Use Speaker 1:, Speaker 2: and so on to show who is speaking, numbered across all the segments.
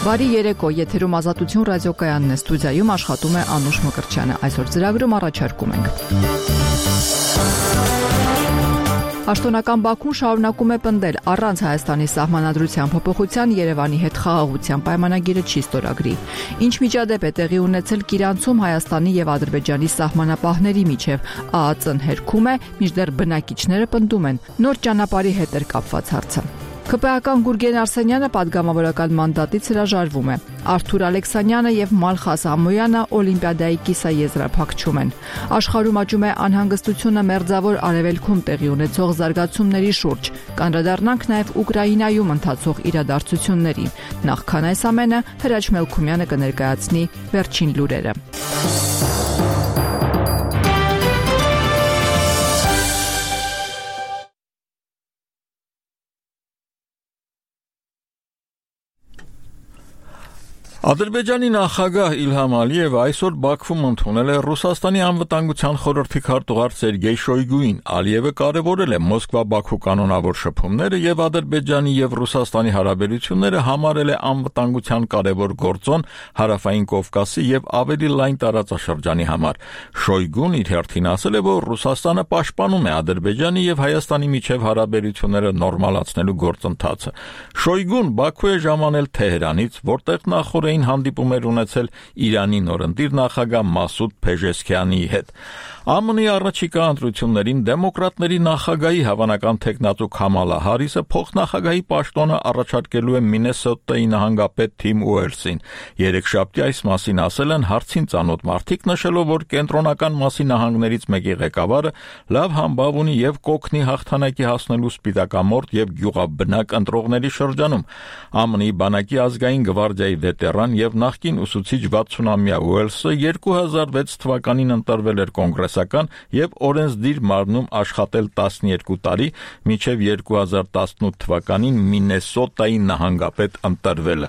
Speaker 1: Բարի երեկո, եթերում Ազատություն ռադիոկայանն է, ստուդիայում աշխատում է Անուշ Մկրտչյանը։ Այսօր ծրագրում առաջարկում ենք. Պաշտոնական Բաքուն շարունակում է պնդել, առանց Հայաստանի սահմանադրության փոփոխության Երևանի հետ խաղաղության պայմանագիրը չի ստորագրի։ Ինչ միջադեպ է տեղի ունեցել Կիրանցում Հայաստանի եւ Ադրբեջանի սահմանապահների միջև, ԱԱԾ-ն հերքում է, մինչդեռ բնակիչները պնդում են, նոր ճանապարհի հետ էր կապված հարցը։ ԿՊԱ-ական Գուրգեն Արսենյանը պատգամավորական մանդատից հրաժարվում է։ Արթուր Ալեքսանյանը եւ Մալխաս Ամոյանը Օլիմպիադայի կիսաեզրափակում են։ Աշխարհում աճում է անհանգստությունը մերձավոր արևելքում տեղի ունեցող զարգացումների շուրջ։ Կանդրադառնանք նաեւ Ուկրաինայում ընթացող իրադարձություններին։ Նախքան այս ամենը Հրաչ Մելքումյանը կներկայացնի վերջին լուրերը։
Speaker 2: Ադրբեջանի նախագահ Իլհամ Ալիևը այսօր Բաքվում ընդունել է Ռուսաստանի անվտանգության խորհրդի քարտուղար Սերգեյ Շոյգուին։ Ալիևը կարևորել է Մոսկվա-Բաքու կանոնավոր շփումները եւ Ադրբեջանի եւ Ռուսաստանի հարաբերությունները համարել է անվտանգության կարևոր գործոն Հարավային Կովկասի եւ ավելի լայն տարածաշրջանի համար։ Շոյգուն իր հերթին ասել է, որ Ռուսաստանը պաշտպանում է Ադրբեջանի եւ Հայաստանի միջև հարաբերությունները նորմալացնելու գործընթացը։ Շոյգուն Բաքու է ժամանել Թեհրանից, որտեղ նախորդ հանդիպում էր ունեցել Իրանի նորընտիր նախագահ Մասուդ Փեժեսքյանի հետ։ ԱՄՆ-ի առաջիկա ընտրություններին դեմոկրատների նախագահի հավանական թեկնածու Քամալա Հարիսը փոխնախագահի պաշտոնը առաջարկելու է Մինեսոտայի նահանգապետ Թիմ Ուելսին։ Երեքշաբթի այս մասին ասել են հարցին ծանոթ մարդիկ, նշելով, որ կենտրոնական մասի նահանգներից մեկի ղեկավարը լավ համբավ ունի եւ կօգնի հաղթանակի հասնելու սպիտակամորթ եւ գյուղաբնակ ընտրողների շրջանում։ ԱՄՆ-ի բանակի ազգային գվարդիայի վետերան եւ նախկին ուսուցիչ 60-ամյա Ուելսը 2006 թվականին ընտրվել էր կոնգրեսական եւ օրենսդիր մարմնում աշխատել 12 տարի, մինչեւ 2018 թվականին Մինեսոտայի նահանգապետ ընտրվել։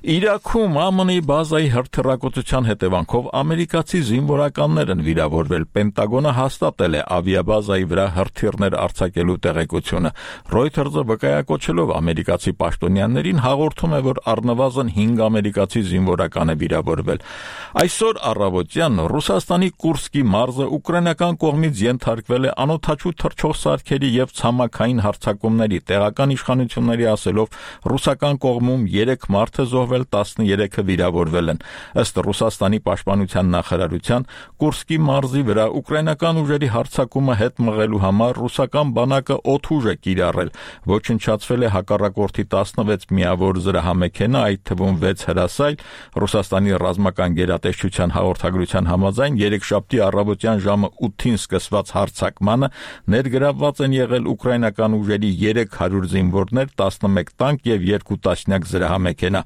Speaker 2: Իրաքում ԱՄՆ-ի բազայի հրթիռակոծության հետևանքով ամերիկացի զինվորականներ են վիրավորվել։ Պենտագոնը հաստատել է ավիաբազայի վրա հրթիռներ արձակելու տեղեկությունը։ Reuters-ը վկայակոչելով ամերիկացի պաշտոնյաներին հաղորդում է, որ առնվազն 5 ամերիկացի զինվորական է վիրավորվել։ Այսօր առավոտյան Ռուսաստանի Կուրսկի մարզը ուկրաինական կողմից ենթարկվել է անօդաչու թռչող սարքերի եւ ցամաքային հարձակումների։ Տեղական իշխանությունների ասելով, ռուսական կողմում 3 մարդ է զոհվել, 13-ը վիրավորվել են։ Ըստ Ռուսաստանի պաշտպանության նախարարության, Կուրսկի մարզի վրա ուկրաինական ուժերի հարձակումը հետ մղելու համար ռուսական բանակը օդուժ է կիրառել։ Ոչնչացվել է հակառակորդի 16 միավոր զրահամեքենա, այդ թվում 6 հրասայլ։ Ռուսաստանի ռազմական գերատեսչության հաղորդագրության համաձայն երեքշաբթի առավոտյան ժամը 8-ին սկսված հարձակմանը ներգրավված են եղել ուկրաինական ուժերի 300 զինվորներ, 11 տանկ եւ 2 տասնյակ զրահամեքենա։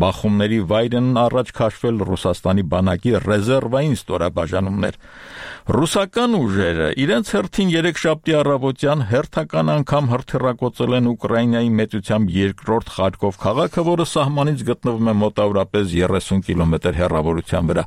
Speaker 2: Բախումների վայրն առաջ քաշվել Ռուսաստանի բանակի ռեզերվային ստորաբաժանումներ։ Ռուսական ուժերը իրենց հերթին երեքշաբթի առավոտյան հերթական անգամ հրթիռակոծել են Ուկրաինայի մեծությամբ երկրորդ Խարկով քաղաքը, որը սահմանից գտնվում է մոտավորապես 30 կիլոմետր հեռավորության վրա։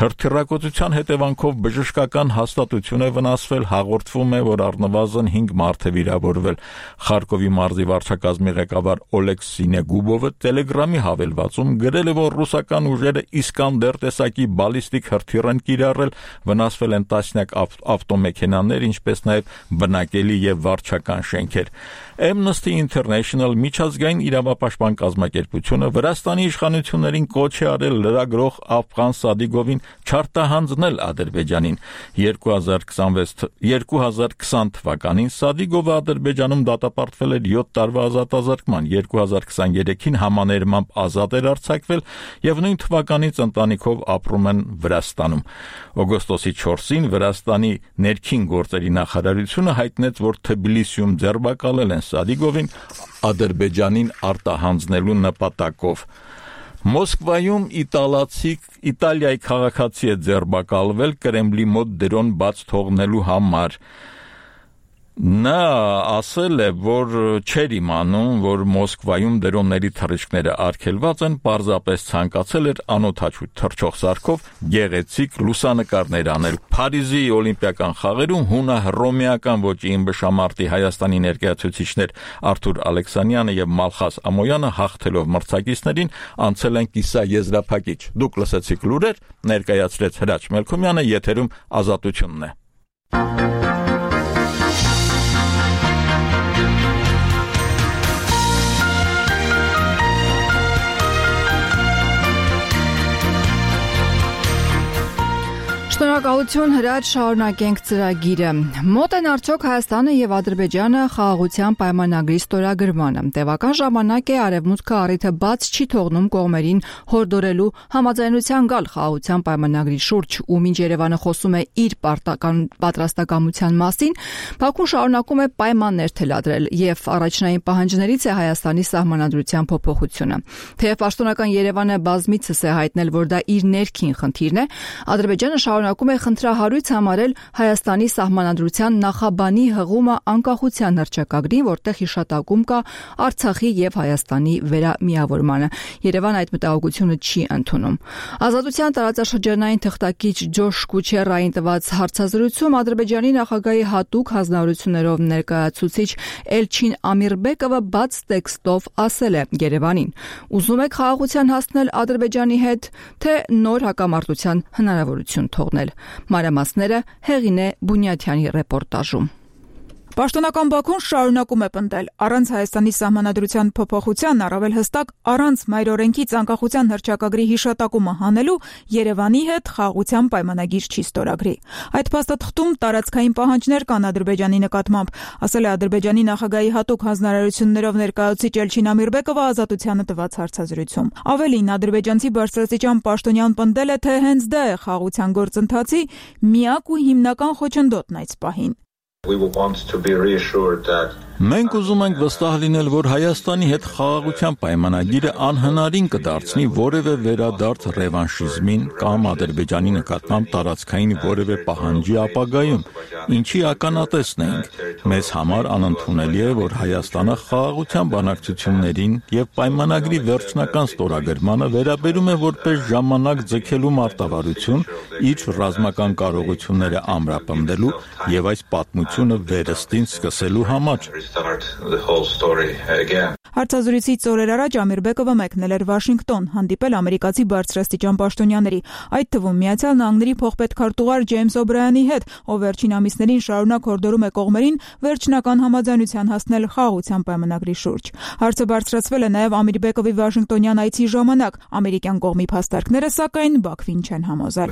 Speaker 2: Հրթիռակոծության հետևանքով բժշկական հաստատություն է վնասվել, հաղորդվում է, որ առնվազն 5 մարդ է վիրավորվել։ Խարկովի մարզի վարչակազմի ղեկավար Օլեգ Սինեգուբովը Telegram-ի հավելվածում գրել է, որ ռուսական ուժերը Իսկանդեր տեսակի բալիստիկ հրթիռ են կիրառել, վնասվել են տասնյակ ավտոմեքենաներ, ինչպես նաև բնակելի եւ վարչական շենքեր։ Amnesty International միջազգային իրավապաշտպան կազմակերպությունը Վրաստանի իշխանություններին կոչ է արել լրագրող Աֆղան Սադիգովին չարտահանձնել Ադրբեջանին։ 2020 թվականին Սադիգովը Ադրբեջանում դատապարտվել էր 7 տարվա ազատազրկման, 2023-ին համաներմամբ ազատ էր արձակվել եւ նույն թվականից ընտանիքով ապրում են Վրաստանում։ Օգոստոսի 4-ին Վրաստանի ներքին գործերի նախարարությունը հայտնեց, որ Թբիլիսիում ձերբակալել են Սադիգովին Ադրբեջանին արտահանձնելու նպատակով։ Մոսկվայում Իտալիայի քաղաքացի է ձերբակալվել Կրեմլի մոտ դրոն բաց թողնելու համար։ Նա ասել է, որ չէր իմանում, որ Մոսկվայում դրոնների թռիչքները արգելված են, պարզապես ցանկացել էր անօդաչու թռչող սարքով գեղեցիկ լուսանկարներ անել։ Փարիզի օլիմպիական խաղերում հունա-հռոմեական ոճի ըմբշամարտի Հայաստանի ներկայացուցիչներ Արթուր Ալեքսանյանը եւ Մալխաս Ամոյանը հաղթելով մրցակիցներին անցել են կիսաեզրափակիչ։ Դուք լսեցիք լուրեր, ներկայացրեց Հրաչ Մելքումյանը, եթերում Ազատությունն է։
Speaker 1: Շնորհակալություն Հրաչ, շարունակենք ծրագիրը։ Մոտ են արդյոք Հայաստանը եւ Ադրբեջանը խաղաղության պայմանագրի ստորագրմանը։ Տևական ժամանակ է Արևմուտքը առիթը բաց չի թողնում կողմերին հորդորելու համաձայնության գալ խաղաղության պայմանագրի շուրջ, ու մինչ Երևանը խոսում է իր պատրաստակամության մասին, Բաքուն շարունակում է պայմաններ թելադրել եւ առաջնային պահանջներից է Հայաստանի սահմանադրության փոփոխությունը։ Թեև պաշտոնական Երևանը բազմիցս է հայտնել, որ դա իր ներքին խնդիրն է, Ադրբեջանը շարունակում է խնդրահարույց համարել Հայաստանի սահմանադրության նախաբանի հղումը անկախության հռչակագրին, որտեղ հիշատակում կա Արցախի եւ Հայաստանի վերամիավորմանը։ Երևանը այդ մտահոգությունը չի ընդունում։ Ազատության տարածաշրջանային թղթակիչ Ջոշ Կուչերային տված հարցազրույցում Ադրբեջանի նախագահի հատուկ հանձնարարություններով ներկայացուցիչ Էլչին Ամիրբեկովը բաց տեքստով ասել է Երևանին. ուզում եք խաղաղության հասնել Ադրբեջանի հետ, թե նոր հակամարտության հնարավորություն թողնել։ Մանրամասները Հեղինե Բունյաթյանի ռեպորտաժում։
Speaker 3: Պաշտոնական Բաքուն շարունակում է պնդել, առանց Հայաստանի սահմանադրության փոփոխության, առավել հստակ առանց մայրօրենքից անկախության հռչակագրի հիշատակումը հանելու Երևանի հետ խաղաղության պայմանագիր չի ստորագրի։ Այդ փաստաթղթում տարածքային պահանջներ կան Ադրբեջանի նկատմամբ, ասել է Ադրբեջանի նախագահի հատուկ հանձնարարություններով ներկայացուցիչ Էլչին Ամիրբեկովը Ազատությանը տված հարցազրույցում։ Ավելին, ադրբեջանցի բարձրաստիճան պաշտոնյան պնդել է, թե հենց դա է խաղաղության գործընթացի միակ ու հիմնական խոչընդոտն այս պահին։
Speaker 2: Մենք ուզում ենք վստահ լինել, որ Հայաստանի հետ խաղաղության պայմանագիրը անհնարին կդարձնի որևէ վերադարձ ռևանշիզմին կամ Ադրբեջանի նկատմամբ տարածքային որևէ պահանջի ապագայում, ինչի ականատեսն ենք։ Մեզ համար անընդունելի է, որ Հայաստանը խաղաղության բանակցություններին եւ պայմանագրի վերջնական ստորագրմանը վերաբերում է որպես ժամանակ ձգելու մարտավարություն իր ռազմական կարողությունները ամրապնդելու եւ այս պատմությունը վերստին սկսելու համար։
Speaker 3: Հարցազրույցից օրեր առաջ Ամիրբեկովը մեկնել էր Վաշինգտոն, հանդիպել ամերիկացի բարձրաստիճան պաշտոնյաների, այդ թվում Միացյալ Նահանգների փոխպետքարտուղար Ջեյմս Օբրայանի հետ, ով վերջին ամիսներին շարունակ հորդորում է կողմերին վերջնական համաձայնության հասնել խաղաղության պայմանագրի շուրջ։ Հարցը բարձրացվել է նաև Ամիրբեկովի Վաշինգտոնյան այցի ժամանակ, ամերիկյան կողմի փաստարկները սակայն Բաքվին չեն համոզել։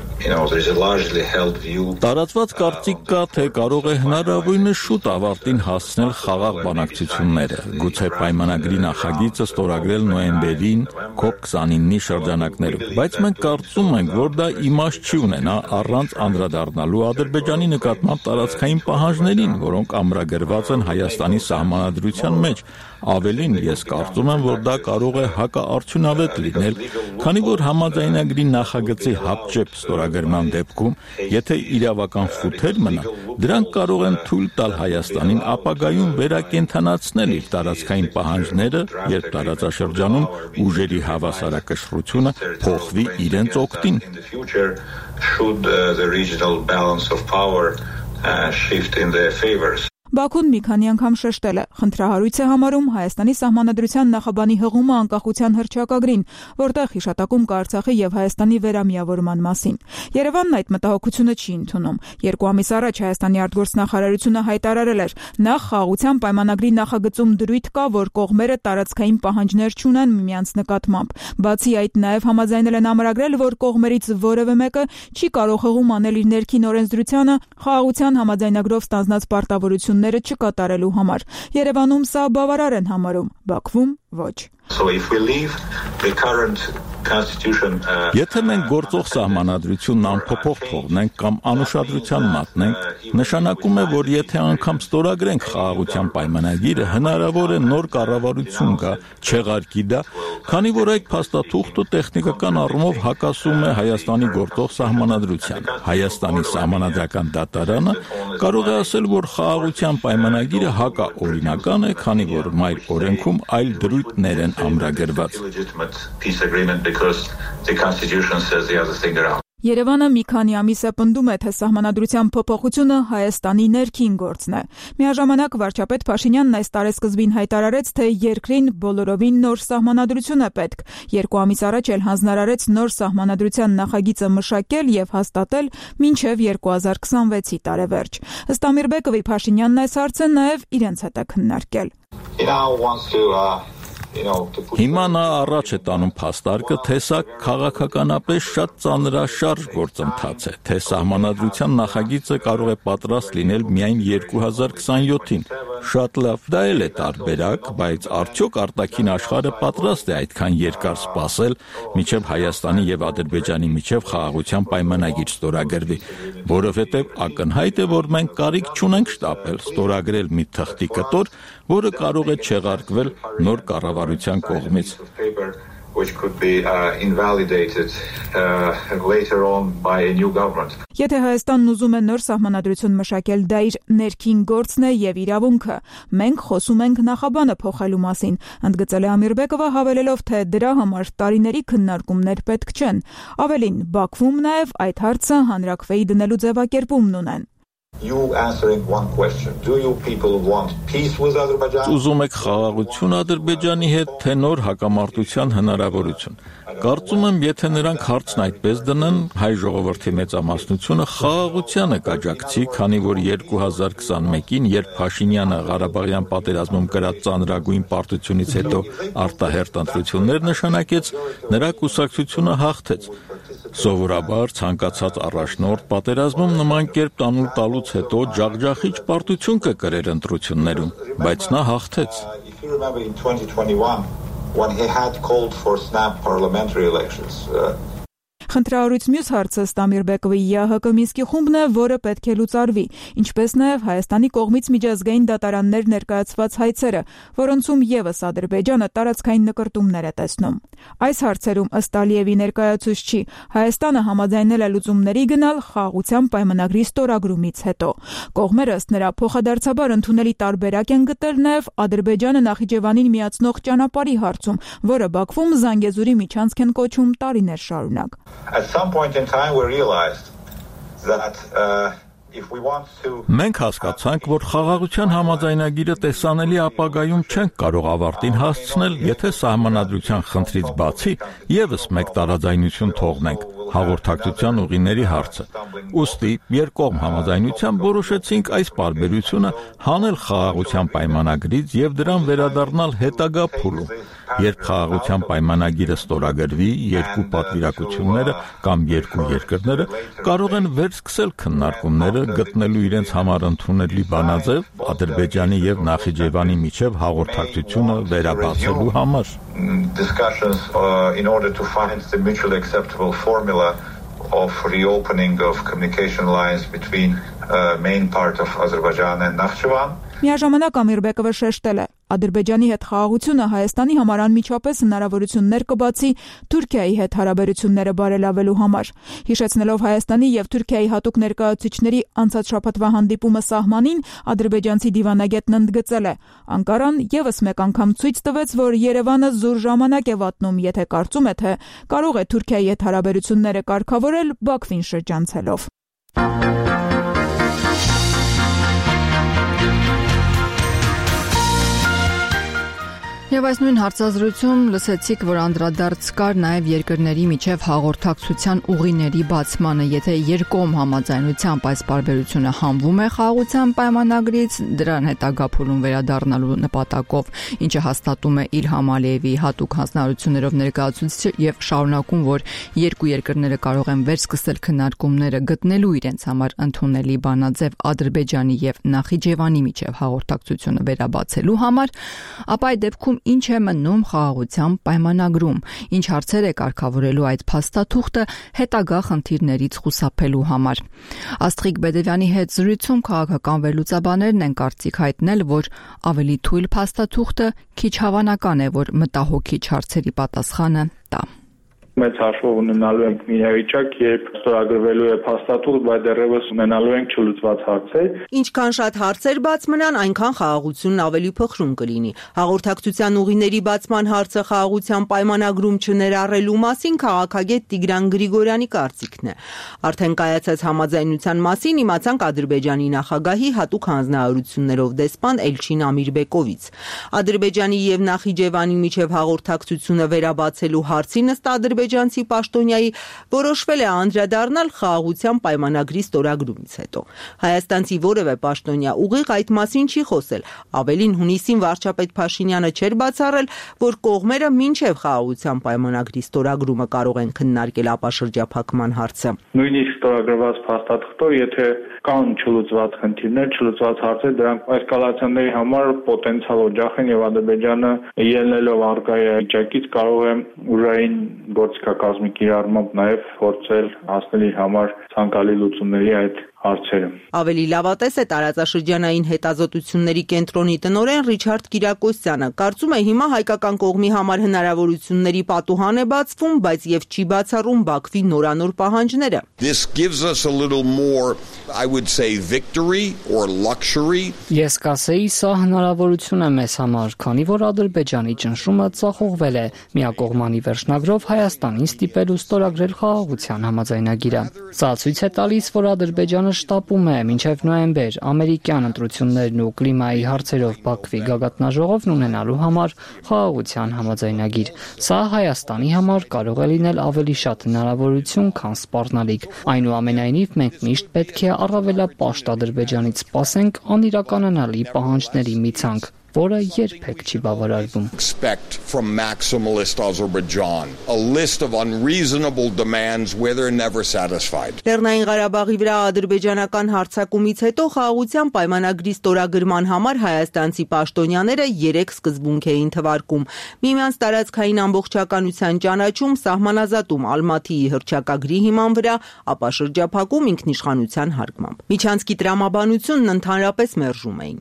Speaker 2: Տարածված կարծիք կա, թե կարող է հնարավորինս շուտ ավարտին հասնել խաղաղ բանակցությունները, գուցե պայմանագրի նախագիծը ստորագրել նոյեմբերին COP29-ի շրջանակներում, բայց մենք կարծում ենք, որ դա իմաստ չի ունենա առանց անդրադառնալու Ադրբեջանի նկատմամբ տարածքային պահանջներին, որոնք ամրագրված են Հայաստանի սահմանադրության մեջ։ Ավելին, ես կարծում եմ, որ դա կարող է հակաարդյունավետ լինել, քանի որ համաձայնագրի նախագծի հապճեպ ստորագրման դեպքում, եթե իրավական խութեր մնա, դրանք կարող են թույլ տալ Հայաստանին ապագայում վերակենդանացնել իր տարածքային պահանջները, երբ տարածաշրջանում ուժերի հավասարակշռությունը փոխվի իրենց օգտին։
Speaker 3: Բաքուն մի քանի անգամ շեշտել է, խնդրահարույց է համարում Հայաստանի սահմանադրության նախաբանի հղումը անկախության հռչակագրին, որտեղ հիշատակում կա Արցախի եւ Հայաստանի վերամիավորման մասին։ Երևանն այդ մտահոգությունը չի ընդունում։ 2 ամիս առաջ Հայաստանի արտգործնախարարությունը հայտարարել էր, նախ խաղաղության պայմանագրի նախագծում դրույթ կա, որ կողմերը տարածքային պահանջներ չունեն միմյանց նկատմամբ։ Բացի այդ, նաեւ համաձայնել են ամրագրել, որ կողմերից որևէ մեկը չի կարող հղում անել իր ներքին օրենսդրությանը խաղաղության համաձայնագրով ստանձնած պարտավորությունները չկատարելու համար։ Երևանում սա բավարար են համարում, Բաքվում ոչ։
Speaker 2: Եթե մենք գործող սահմանադրությունն անփոփոխ թողնենք կամ անուշադրության մատնենք, նշանակում է, որ եթե անգամ ստորագրենք խաղաղության պայմանագիրը, հնարավոր է նոր կառավարություն գա, չեղարկի դա, քանի որ այդ փաստաթուղթը տեխնիկական առումով հակասում է Հայաստանի գործող սահմանադրությանը։ Հայաստանի սահմանադրական դատարանը կարող է ասել, որ խաղաղության պայմանագիրը հակաօրինական է, քանի որ մայր օրենքում այլ դրույթներ են ամրագրված։
Speaker 3: Երևանը մի քանի ամիս է պնդում է, թե սահմանադրության փոփոխությունը Հայաստանի ներքին գործն է։ Միաժամանակ վարչապետ Փաշինյանն այս տարեսկզբին հայտարարեց, թե երկրին բոլորովին նոր սահմանադրություն է պետք։ 2 ամիս առաջ էլ հանձնարարեց նոր սահմանադրության նախագիծը մշակել եւ հաստատել մինչեւ 2026-ի տարեվերջ։ Ըստ Ամիրբեկովի, Փաշինյանն այս հարցը նաեւ իրենց հետ է քննարկել։
Speaker 2: Հիմա նա առաջ է տանում փաստարկը, թե սա քաղաքականապես շատ ծանրաշարժ գործընթաց է, թե սահմանադրության նախագիծը կարող է պատրաստ լինել միայն 2027-ին։ Շատ լավ, դա էլ է տարբերակ, բայց արդյոք արտաքին աշխարհը պատրաստ է այդքան երկար սպասել, մինչև Հայաստանի եւ Ադրբեջանի միջև խաղաղության պայմանագիր ստորագրվի, որովհետեւ ակնհայտ է, որ մենք կարիք չունենք շտապել, ստորագրել մի թղթի կտոր, որը կարող է չեղարկվել նոր կառավարության կողմից։
Speaker 4: Which could be invalidated later on by a new government.
Speaker 3: Եթե Հայաստանն ուզում է նոր սահմանադրություն մշակել, դա իր ներքին գործն է եւ իրավունքը։ Մենք խոսում ենք նախաբանը փոխելու մասին, ընդգծել է Ամիրբեկովը, հավելելով, թե դրա համար տարիների քննարկումներ պետք չեն։ Ավելին, Բաքվում նաեւ այդ հարցը հանրաքվեի դնելու ձևակերպումն ունեն։
Speaker 4: You answering one question. Do you people want peace with Azerbaijan?
Speaker 2: Ուզում եք խաղաղություն Ադրբեջանի հետ, թե նոր հակամարտության հնարավորություն։ Կարծում եմ, եթե նրանք հարցն այդպես դնեն, հայ ժողովրդի մեծամասնությունը խաղաղությանը կաջակցի, քանի որ 2021-ին, երբ Փաշինյանը Ղարաբաղյան պատերազմում կրած ծանրագույն պարտությունից հետո արտահերտ ընտրություններ նշանակեց, նրա կուսակցությունը հաղթեց։ Սովորաբար ցանկացած առաջնորդ պատերազմում նման կերպ տանուլ տալուց հետո ջախջախիչ պարտություն կկրեր ընտրություններում, բայց նա հաղթեց։
Speaker 4: If you remember in 2021 when he had called for snap parliamentary elections.
Speaker 3: Խնդրահարույց մյուս հարցը ըստ Ամիրբեկովի ՀՀԿ Մինսկի խումբն է, որը պետք է լուծարվի, ինչպես նաև Հայաստանի կողմից միջազգային դատարաններ ներկայացված հայցերը, որոնցում եւս Ադրբեջանը տարածքային նկրտումներ է տեսնում։ Այս հարցերում ըստ Ալիևի ներկայացուցչի Հայաստանը համաձայնել է լուծումների գնալ խաղաղության պայմանագրի ստորագրումից հետո։ Կողմերը ըստ նրա փոխադարձաբար ընդունելի տարբերակ են գտել նաև Ադրբեջանը Նախիջևանին միացնող ճանապարհի հարցում, որը Բաքվում Զանգեզուրի միջանցք են կոչում տարիներ շարունակ։
Speaker 4: At some point in time we realized that if we want to
Speaker 2: Մենք հասկացանք, որ խաղաղության համաձայնագիրը տեսանելի ապագայում չենք կարող ավարտին հասցնել, եթե սահմանադրության խնդրից բացի եւս մեկ տարաձայնություն թողնենք հաղորդակցության ուղիների հարցը։ Ուստի երկկողմ համաձայնությամբ որոշեցինք այս պարբերությունը հանել խաղաղության պայմանագրից եւ դրան վերադառնալ հետագա փուլում։ Երբ խաղաղության պայմանագիրը ստորագրվի, երկու պատվիրակությունները կամ երկու երկրները կարող են վերսկսել քննարկումները գտնելու իրենց համար ընդունելի բանաձև Ադրբեջանի եւ Նախիջևանի միջև հաղորդակցությունը վերաբացելու համար։
Speaker 4: Discussions in order to find the mutually acceptable formula of reopening of communication lines between main part of Azerbaijan and Nakhchivan.
Speaker 3: Միաժամանակ Ամիրբեկովը շեշտել է, Ադրբեջանի հետ խաղաղությունը Հայաստանի համար անմիջապես հնարավորություններ կբացի Թուրքիայի հետ հարաբերությունները բարելավելու համար։ Հիշեցնելով Հայաստանի եւ Թուրքիայի հատուկ ներկայացուցիչների անցած շաբաթվա հանդիպումը սահմանին, ադրբեջանցի դիվանագետն ընդգծել է. Անկարան եւս մեկ անգամ ցույց տվեց, որ Երևանը զուր ժամանակ է վատնում, եթե կարծում է, թե կարող է Թուրքիայի հետ հարաբերությունները կարգավորել Բաքվին շրջանցելով։ Եվ այս նույն հարցազրույցում լսեցիք, որ անդրադարձ կար նաև երկրների միջև հաղորդակցության ուղիների բացմանը, եթե երկկողմ համաձայնությամբ այս պարբերությունը հանվում է խաղաղության պայմանագրից, դրան հետագա փուլում վերադառնալու նպատակով, ինչը հաստատում է Իլհամ Ալիևի հատուկ հանձնարարություններով ներկայացուցիչը եւ շարունակում, որ երկու երկրները կարող են վերսկսել քննարկումները գտնելու իրենց համար ընդունելի բանաձև Ադրբեջանի եւ Նախիջևանի միջև հաղորդակցությունը վերաբացելու համար, ապա այդ դեպքում
Speaker 1: ինչ է մնում խաղաղության պայմանագրում, ինչ հարցեր է կարգավորելու այդ փաստաթուղթը հետագա խնդիրներից խուսափելու համար։ Աստղիկ Բեդևյանի հետ զրույցում քաղաքական վերլուծաբաներն են կարծիք հայտնել, որ ավելի թույլ փաստաթուղթը քիչ հավանական է, որ մտահոգիչ հարցերի պատասխանը տա։
Speaker 5: Մեծ հաշվով ունենալու ենք մի իրավիճակ, երբ ստորագրվելու է փաստաթուղթ, բայց դեռևս ունենալու ենք չլուծված հարցեր։
Speaker 6: Ինչքան շատ հարցեր բաց մնան, այնքան խաղաղությունն ավելի փխրուն կլինի։ Հաղորդակցության ուղիների բացման հարցը խաղաղության պայմանագրում չներառելու մասին քաղաքագետ Տիգրան Գրիգորյանի կարծիքն է։ Արդեն կայացած համաձայնության մասին իմացանք Ադրբեջանի նախագահի հատուկ հանձնարարություններով դեսպան Էլչին Ամիրբեկովից։ Ադրբեջանի եւ Նախիջևանի միջև հաղորդակցությունը վերաբացելու հարցին ըստ ադրբեջանցի պաշտոնյայի որոշվել է անդրադառնալ խաղաղության պայմանագրի ստորագրումից հետո։ Հայաստանցի որևէ պաշտոնյա ուղիղ այդ մասին չի խոսել։ Ավելին, հունիսին վարչապետ Փաշինյանը չէր բացառել, որ կողմերը մինչև խաղաղության պայմանագրի ստորագրումը կարող են քննարկել ապաշրջափակման հարցը։
Speaker 5: Նույնիսկ ստորագրված փաստաթղթով, եթե կան չլուծված խնդիրներ, չլուծված հարցեր, դրանք էսկալացիաների համար պոտենցիալ օջախ են եւ Ադրբեջանը ելնելով արկայի վիճակից կարող է ուժային գործիքակազմի կիրառմամբ նաև փորձել հասնել իր համար ցանկալի լուծումների այդ հարցերը։
Speaker 6: Ավելի լավատես է տարածաշրջանային հետազոտությունների կենտրոնի տնօրեն Ռիչարդ Կիրակոսյանը։ Կարծում է հիմա հայկական կողմի համար հնարավորությունների պատուհան է բացվում, բայց եւ չի բացառում Բաքվի նորանոր պահանջները։
Speaker 7: This gives us a little more, I would say, victory or luxury.
Speaker 8: Ես կասեի, սա հնարավորություն է մեզ համար, քանի որ Ադրբեջանի ճնշումը ծախողվել է միակողմանի վերջնագրով Հայաստանին ստիպելու ստորագրել խաղաղության համաձայնագիրը։ Սա ցույց է տալիս, որ Ադրբեջանը շտապում է մինչև նոյեմբեր ամերիկյան ընտրություններն ու կլիմայի հարցերով Բաքվի գագաթնաժողովն ունենալու համար խաղաղության համաձայնագիր։ Սա Հայաստանի համար կարող է լինել ավելի շատ հնարավորություն, քան սպառնալիք։ Այնուամենայնիվ, մենք միշտ պետք է առավելապաշտ Ադրբեջանից սպասենք անիրականանալի պահանջների մի ցանկ, որը երբեք չի բավարարվում։
Speaker 7: Expect from maximalist Azerbaijan a list of unreasonable demands where they're never satisfied.
Speaker 6: Լեռնային Ղարաբաղի վրա ադրբեջանական հարձակումից հետո խաղաղության պայմանագրի ստորագրման համար հայաստանցի պաշտոնյաները 3 սկզբունք էին թվարկում. միմյանց տարածքային ամբողջականության ճանաչում, սահմանազատում Ալմատիի հռչակագրի հիման վրա, ապա շրջափակում ինքնիշխանության հարգմամբ։ Միջանցքի տրամաբանությունն ընդհանրապես մերժում էին։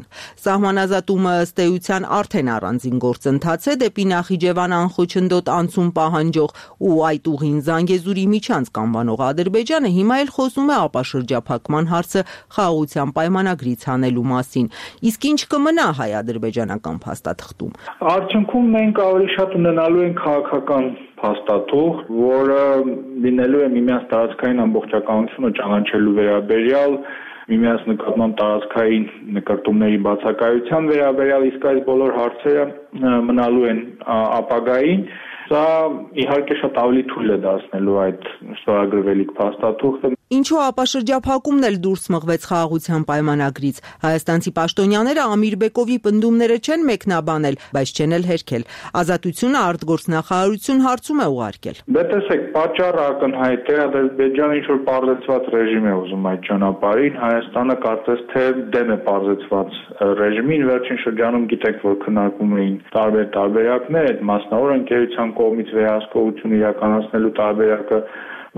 Speaker 6: Սահմանազատումը ըստեյության արդեն առանձին գործընթաց է դեպի Նախիջևան անխոչնդոտ անցում պահանջող ու այդ ուղին Զանգեզուրի միջանցք անվանող Ադրբեջանը հիմա էլ խոսում է ապաշրջափակման հարցը խաղաղության պայմանագրից հանելու մասին։ Իսկ ինչ կմնա հայ-ադրբեջանական փաստաթղթում։
Speaker 5: Արդյունքում մենք ավելի շատ ունենալու ենք քաղաքական փաստաթուղթ, որը լինելու է միմյանց տարածքային ամբողջականությունը ճանաչելու վերաբերյալ, միմյանց նկատմամբ տարածքային նկարտումների բացակայության վերաբերյալ, իսկ այս բոլոր հարցերը մնալու են ապագային։ Սա իհարկե շատ ավելի թույլ է դարձնելու այդ ստորագրվելիք փաստաթուղթը։
Speaker 6: Ինչու ապաշրջափակումն էլ դուրս մղվեց խաղաղության պայմանագրից։ Հայաստանցի պաշտոնյաները Ամիրբեկովի պնդումները չեն մեկնաբանել, բայց չեն էլ հերքել։ Ազատությունը արտգործնախարարություն հարցում է ուղարկել։
Speaker 5: Դե տեսեք, պատճառը ակնհայտ է, Ադրբեջանը ինչ-որ պարզեցված ռեժիմ է ուզում այդ ճանապարհին, Հայաստանը կարծես թե դեմ է պարզեցված ռեժիմին, վերջին շրջանում գիտեք, որ քննարկում էին տարբեր տարբերակներ, այդ մասնավոր ընկերության կողմից վերահսկողություն իրականացնելու տարբերակը,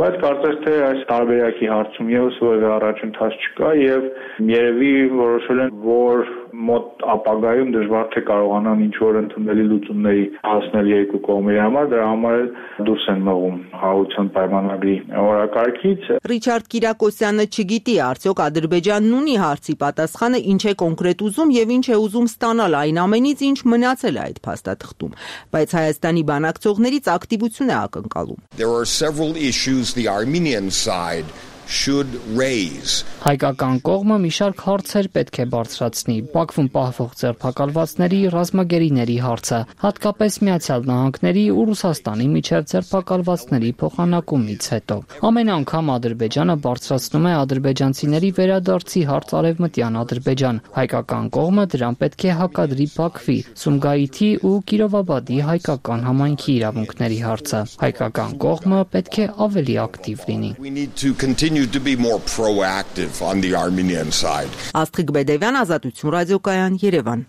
Speaker 5: բայց կարծես թե այս տարբերակի հարցում եւս որևէ առաջընթաց չկա եւ երևի որոշել են, որ մոտ ապագայում դժվար թե կարողանան ինչ-որ ընդունելի լուծումների հասնել երկու կողմերի համար, դրա համար էլ դուրս են մղում խաղաղության պայմանագրի օրակարգից։
Speaker 6: Ռիչարդ Կիրակոսյանը չգիտի, արդյոք Ադրբեջանն ունի հարցի պատասխանը, ինչ է կոնկրետ ուզում եւ ինչ է ուզում ստանալ այն ամենից, ինչ մնացել է այդ փաստաթղթում, բայց Հայաստանի բանակցողներից ակտիվություն է ակնկալում։
Speaker 7: There are several issues the Armenian side should raise.
Speaker 8: Հայկական կողմը մի շարք հարցեր պետք է բարձրացնի, Բաքվում պահվող ձերբակալվածների ռազմագերիների հարցը, հատկապես Միացյալ Նահանգների ու Ռուսաստանի միջև ձերբակալվածների փոխանակումից հետո։ Ամեն անգամ Ադրբեջանը բարձրացնում է ադրբեջանցիների վերադարձի հարց Արևմտյան Ադրբեջան։ Հայկական կողմը դրան պետք է հակադրի Բաքվի, Սումգայիթի ու Կիրովաբադի հայկական համայնքի իրավունքների հարցը։ Հայկական կողմը պետք է ավելի ակտիվ լինի։
Speaker 7: We need to continue to be more proactive on the Armenian side.
Speaker 6: Աստղիկ Բեդևյան, Ազատություն ռադիոկայան, Երևան։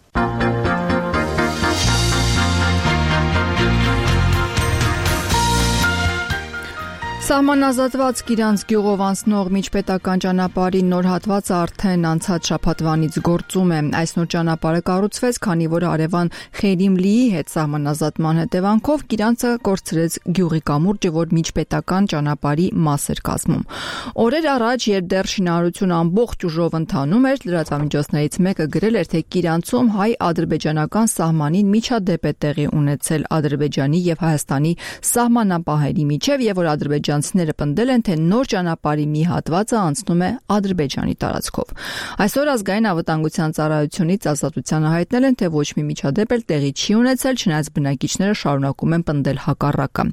Speaker 1: Սահմանազատված Կիրանց գյուղով անցնող միջպետական ճանապարհի նոր հատվածը արդեն անցած շաբաթվանից գործում է։ Այս նոր ճանապարհը կառուցվեց, քանի որ հարևան Խերիմլիի հետ սահմանազատման հետևանքով Կիրանցը կորցրեց գյուղի կամուրջը, որ միջպետական ճանապարհի մաս էր կազմում։ Օրեր առաջ, երբ դեռ շինարարությունը ամբողջ ուժով ընթանում էր, լրատվամիջոցներից մեկը գրել էր, թե Կիրանցում հայ-ադրբեջանական սահմանին միջադեպ է տեղի ունեցել Ադրբեջանի եւ Հայաստանի սահմանապահերի միջև, եւ որ ադրբեջանցիները պնդել են, թե նոր ճանապարհի մի հատվածը անցնում է Ադրբեջանի տարածքով։ Այսօր ազգային անվտանգության ծառայությունից ազատությանը հայտնել են, թե ոչ մի միջադեպ էլ տեղի չի ունեցել, չնայած բնակիչները շարունակում են պնդել հակառակը։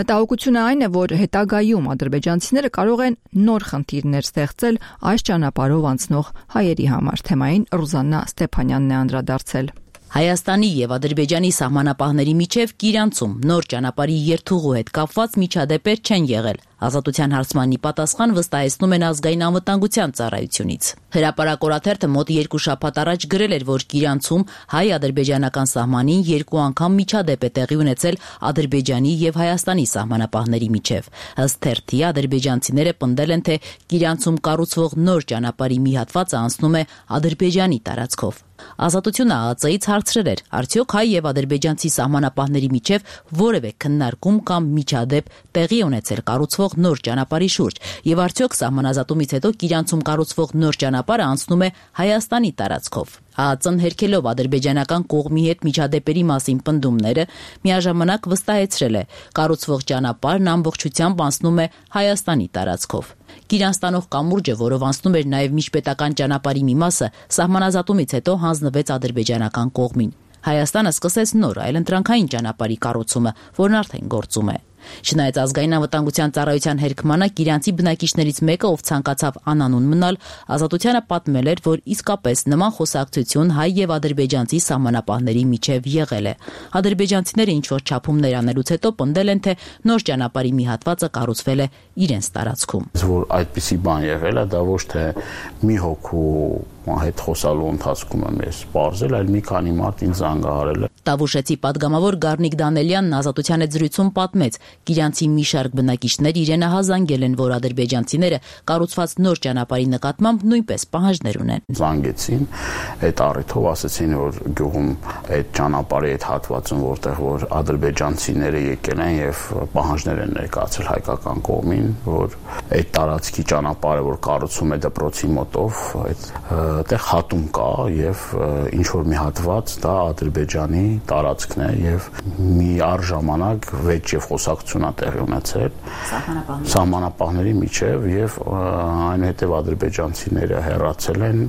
Speaker 1: Մտահոգությունը այն է, որ հետագայում ադրբեջանցիները կարող են նոր խնդիրներ ստեղծել այս ճանապարհով անցնող հայերի համար։ Թեմային Ռուզաննա Ստեփանյանն է անդրադարձել։
Speaker 9: Հայաստանի եւ Ադրբեջանի սահմանապահների միջև Կիրանցում նոր ճանապարհի երթուղու հետ կապված միջադեպեր չեն եղել։ Ազատության հարցմանի պատասխան վստահեցնում են ազգային անվտանգության ծառայությունից։ Հրապարակորաթերթը մոտ 2 շաբաթ առաջ գրել էր, որ Կիրանցում հայ-ադրբեջանական սահմանին 2 անգամ միջադեպ է տեղի ունեցել Ադրբեջանի եւ Հայաստանի սահմանապահների միջև։ Ըստ թերթի, ադրբեջանցիները պնդել են, թե Կիրանցում կառուցվող նոր ճանապարհի մի հատվածը անցնում է Ադրբեջանի տարածքով։ Ազատությունը ԱԱԾ-ից հարցրել էր, արդյոք հայ եւ ադրբեջանցի սահմանապահների միջև որևէ քննարկում կամ միջադեպ տեղի ունեցել կառուցվող նոր ճանապարհի շուրջ, եւ արդյոք սահմանազատումից հետո Կիրանցում կառուցվող նոր ճանապարհը անցնում է Հայաստանի տարածքով։ ԱԱԾ-ն հերքելով ադրբեջանական կողմի հետ միջադեպերի մասին պնդումները, միաժամանակ վստահեցրել է, կառուցվող ճանապարհն ամբողջությամբ անցնում է Հայաստանի տարածքով։ Կիրանց տանող կամուրջը, որով անցնում էր նաև միջպետական ճանապարհի մի մասը, սահմանազատումից հետո հանձնվեց ադրբեջանական կողմին։ Հայաստանը սկսեց նոր այլընտրանքային ճանապարհի կառուցումը, որն արդեն գործում է։ Չնայած ազգային անվտանգության ծառայության հերքմանը Կիրանցի բնակիչներից մեկը, ով ցանկացավ անանուն մնալ, ազատությանը պատմել էր, որ իսկապես նման խոսակցություն հայ եւ ադրբեջանցի սահմանապահների միջև եղել է։ Ադրբեջանցիները ինչ-որ չափումներ անելուց հետո պնդել են, թե նոր ճանապարհի մի հատվածը կառուցվել է իրենց տարածքում։
Speaker 10: Որ այդպիսի բան եղել է, դա ոչ թե մի հոգու հետ խոսալու ընթացքում եմ ես բարձել, այլ մի քանի մարդ ինձ զանգահարել է։
Speaker 9: Տավուշեցի падգամավոր Գառնիկ Դանելյանն ազատության հետ զրույցում պատմեց, Կիրանցի մի շարք բնակիչներ իրենը հազանգել են, որ ադրբեջանցիները կառուցված նոր ճանապարհի նկատմամբ նույնպես պահանջներ ունեն։
Speaker 10: Զանգեցին, այդ առիթով ասեցին, որ գյուղում այդ ճանապարհի այդ հատվածում, որտեղ որ ադրբեջանցիները եկել են եւ պահանջներ են ներկայացրել հայկական կողմին, որ այդ տարածքի ճանապարհը, որ կառուցում է դպրոցի մոտով, այդտեղ հատում կա եւ ինչ որ մի հատված դա Ադրբեջանի տարածքն է եւ մի առժամանակ վեճ եւ խոսակցություն է տեղի ունեցել սահմանապահների միջև եւ այնուհետեւ ադրբեջանցիները հեռացել են,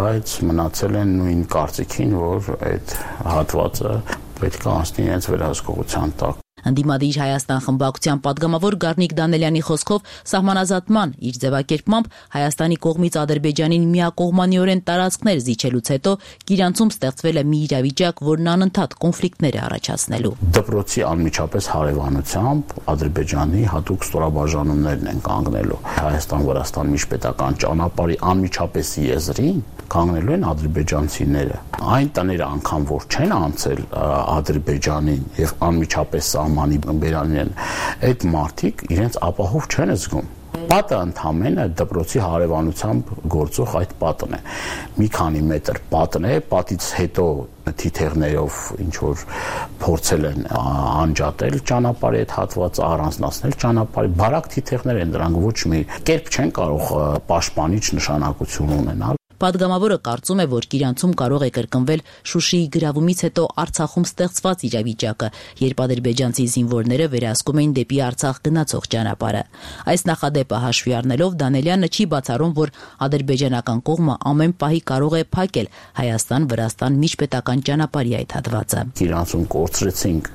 Speaker 10: բայց մնացել են նույն կարծիքին, որ այդ հատվածը պետք է անցնի իրենց վերահսկողության տակ։
Speaker 9: Ընդդիմադիր Հայաստան խմբակցության падգամավոր Գառնիկ Դանելյանի խոսքով սահմանազատման իր ձևակերպմամբ Հայաստանի կողմից Ադրբեջանին միակողմանիորեն տարածքներ զիջելուց հետո Կիրանցում ստեղծվել է մի իրավիճակ, որն անընդհատ կոնֆլիկտներ է առաջացնելու։
Speaker 10: Դպրոցի անմիջապես հարևանությամբ Ադրբեջանի հատուկ ստորաբաժանումներն են կանգնելու Հայաստան-Վրաստան միջպետական ճանապարհի անմիջապես եզրին կանգնելու են ադրբեջանցիները։ Այն տները անգամ որ չեն անցել Ադրբեջանին եւ անմիջապես սահմանի բերանին են, այդ մարդիկ իրենց ապահով չեն զգում։ Պատը ընդհանրապես դպրոցի հարևանությամբ գործող այդ պատն է։ Մի քանի մետր պատն է, պատից հետո թիթեղներով ինչ որ փորձել են անջատել ճանապարհի այդ հատվածը, առանձնացնել ճանապարհի, բարակ թիթեղներ են, դրանք ոչ մի կերպ չեն կարող պաշտպանիչ նշանակություն ունենալ։
Speaker 9: Պատգամավորը կարծում է, որ Կիրանցում կարող է կրկնվել Շուշիի գրավումից հետո Արցախում ստեղծված իրավիճակը, երբ ադրբեջանցի զինվորները վերահսկում էին դեպի Արցախ գնացող ճանապարհը։ Այս նախադեպը հաշվի առնելով Դանելյանը չի բացառում, որ ադրբեջանական կողմը ամեն պահի կարող է փակել Հայաստան-Վրաստան միջպետական ճանապարհի այդ հատվածը։
Speaker 10: Կիրանցում կորցրեցինք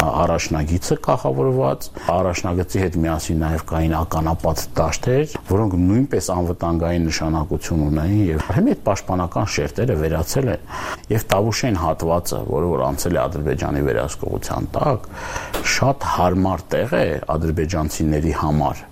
Speaker 10: առաջնագիծը կախավորված, առաջնագծի հետ միասին նաև կային ականապատ դաշտեր, որոնք նույնպես անվտանգային նշանակություն ունեին Հիմա այդ պաշտպանական շերտերը վերացել են եւ Տավուշեն հատվածը, որը որ անցել է Ադրբեջանի վերահսկողության տակ, շատ հարմար տեղ է ադրբեջանցիների համար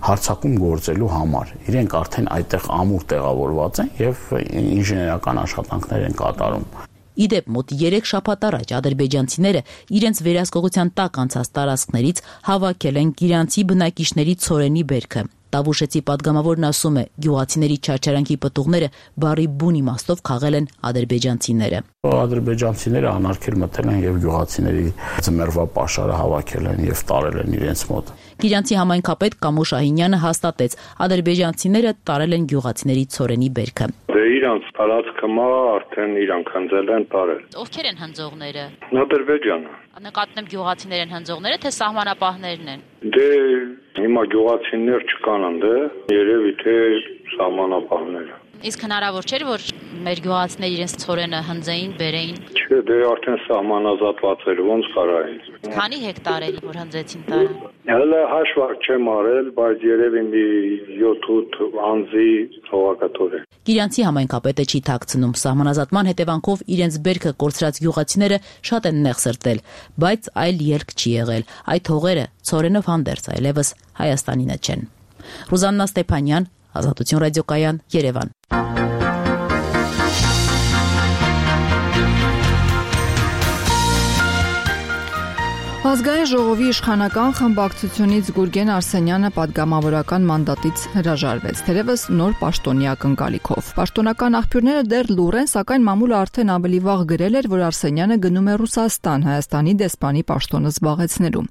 Speaker 10: հարցակում գործելու համար։ Իրենք արդեն այդտեղ ամուր տեղավորված են եւ ինժեներական աշխատանքներ են կատարում։
Speaker 9: Իդեպ մոտ 3 շաբաթ առաջ ադրբեջանցիները իրենց վերահսկողության տակ անցած տարածքներից հավաքել են գիրանցի բնակիչների ցորենի բերքը։ Տավուշեցի падգամավորն ասում է, գյուղացիների չարչարանքի պտուղները բարի բուն իմաստով խաղել են ադրբեջանցիները։
Speaker 10: Ադրբեջանցիները անարգել մտել են եւ գյուղացիների ձմեռվա պաշարը հավաքել են եւ տարել են իրենց մոտ։
Speaker 9: Գիրանցի համայնքապետ Կամո Շահինյանը հաստատեց, ադրբեջանցիները տարել են գյուղացիների ցորենի բերքը։
Speaker 11: Իրանց տարածքը արդեն իրանք հնձել են տարել։
Speaker 9: Ովքեր են հնձողները։
Speaker 11: Ադրբեջանը։
Speaker 9: Նկատում եմ գյուղացիներ են հնձողները, թե սահմանապահներն են։
Speaker 11: Դե հիմա գյուղացիներ չկան անդե, երևի թե սահմանապահները։
Speaker 9: Իսկ հնարավոր չէր, որ մեր գյուղացիները իրենց ցորենը հնձեին, բերեին։
Speaker 11: Չէ, դե արդեն սահմանազատված էր, ոնց կարային։
Speaker 9: Քանի հեկտար էլի որ հնձեցին տարը։
Speaker 11: Հələ հաշվարկ չեմ արել, բայց երևի մի 7-8 անձի հողակատոր է։
Speaker 9: Գիրանցի համայնքապետը չի թաքցնում, սահմանազատման հետևանքով իրենց բերքը կորցրած գյուղացիները շատ են նեղ սրտել, բայց այլ ելք չի եղել։ Այդ հողերը ցորենով հանդերձ այլևս Հայաստանինը չեն։ Ռուզաննա Ստեփանյան, Ազատություն ռադիոկայան, Երևան։
Speaker 1: Ազգային ժողովի իշխանական խմբակցությունից Գուրգեն Արսենյանը падգամավորական մանդատից հրաժարվեց, թերևս նոր պաշտոնյա ակնկալիքով։ Պաշտոնական աղբյուրները դեռ լուռ են, սակայն մամուլը արդեն ավելի վաղ գրել էր, որ Արսենյանը գնում է Ռուսաստան Հայաստանի դեսպանի պաշտոնը զբաղեցնելու։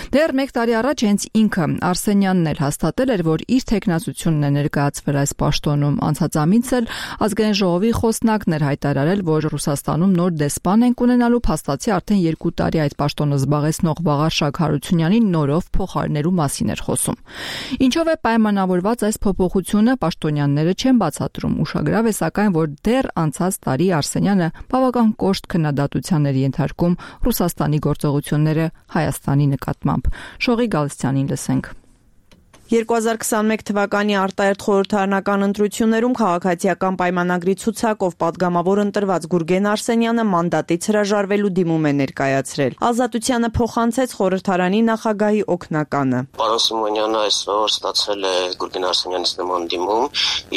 Speaker 1: Դեռ 1 տարի առաջ հենց ինքը Արսենյանն էլ հաստատել էր, որ իր թեկնածությունն է ներկայացվել այս պաշտոնում։ Անցած ամիս էլ Ազգային ժողովի խոսնակն էր հայտարարել, որ Ռուսաստանում նոր դեսպան են ունենալու, փաստացի արդեն 2 տարի այդ պաշտոնը զբաղեցնող Վաղարշակ Հարությունյանին նորով փոխարինելու մասին էր խոսում։ Ինչով է պայմանավորված այս փոփոխությունը, պաշտոնյաները չեն բացատրում։ Ուշագրավ է սակայն, որ դեռ անցած տարի Արսենյանը բավական կոշտ քննադատության էր ենթարկում Ռուսաստանի գործողությունները Հայաստանի նկատմամբ։ Շողի Գալստյանին լսենք։
Speaker 6: 2021 թվականի արտահերթ խորհրդարանական ընտրություններում քաղաքացիական պայմանագրի ցուցակով падգամավոր ընտրված Գուրգեն Արսենյանը մանդատից հրաժարվելու դիմում է ներկայացրել։ Ազատությանը փոխանցեց խորհրդարանի նախագահի օգնականը։
Speaker 12: Պարոն Սիմոնյանը այսօր ստացել է Գուրգեն Արսենյանից նման դիմում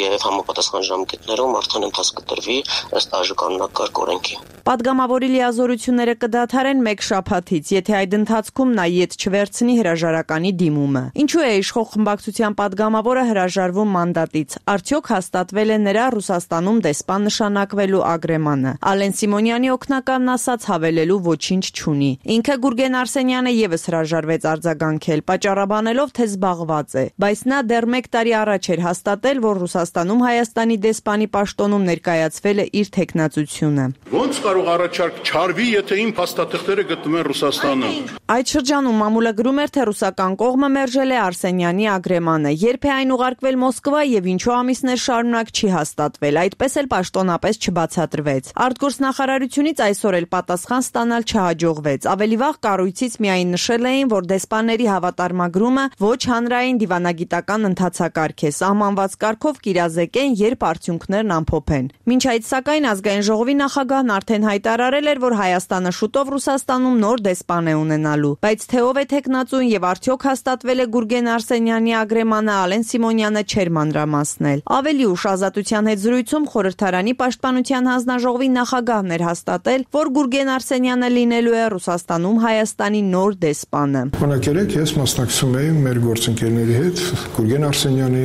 Speaker 12: եւ համապատասխան ժամկետներում արդեն ընթաց կտրվի ըստ կանոնակարգ օրենքի։
Speaker 6: Падգամավորի լիազորությունները կդադարեն 1 շաբաթից, եթե այդ ընթացքում նա ետ չվերցնի հրաժարականի դիմումը։ Ինչու է իշխող խմբակցության падգամավորը հրաժարվում մանդատից։ Արդյոք հաստատվել է նրա Ռուսաստանում դեսպան նշանակվելու ագրեմանը։ Ալեն Սիմոնյանի օգնականն ասաց հավելելու ոչինչ չունի։ Ինքը Գուրգեն Արսենյանը եւս հրաժարվեց արձագանքել, պատճառաբանելով, թե զբաղված է, բայց նա դեռ 1 տարի առաջ էր հաստատել, որ Ռուսաստանում Հայաստանի դեսպանի պաշտոնում ներկայացվել է իր թեկնածությունը։
Speaker 13: Ոնց կարող առաջարկ չարվի, եթե իմ փաստաթղթերը գտնվում են Ռուսաստանում։
Speaker 6: Այդ շրջանում մամուլը գրում էր, թե ռուսական կողմը մերժել է Արսենյանի ագրեմանը, երբ է այն ուղարկվել Մոսկվա եւ ինչու ամիսներ շարունակ չի հաստատվել, այդպես էլ պաշտոնապես չբացատրվեց։ Արտգործնախարարությունից այսօր էլ պատասխան ստանալ չհաջողվեց։ Ավելի վաղ կառույցից միայն նշել էին, որ դեսպանների հավատարմագրումը ոչ հանրային դիվանագիտական ընթացակարգ է, սահմանված կարգով կիրազեկեն, երբ արդյունքներն ամփոփեն։ Մինչ այդ սակայն Ազգային ժողովի նախագահն արդեն հայտարարել էր, որ Հայաստանը շուտով Ռուսաստանում նոր դեսպան է ունենալու, բայց թե ով է թեկնածուն եւ արդյոք հաստատվել է Գուրգեն Արսենյանի ագրեմանը, Ալեն Սիմոնյանը չէր մանրամասնել։ Ավելի ուշ Ազատության հետ զրույցում խորհրդարանի պաշտպանության հանձնաժողովի նախագահն էր հաստատել, որ Գուրգեն Արսենյանը լինելու է Ռուսաստանում Հայաստանի նոր դեսպանը։
Speaker 14: Օրինակ ես մասնակցում էի մեր գործընկերների հետ Գուրգեն Արսենյանի,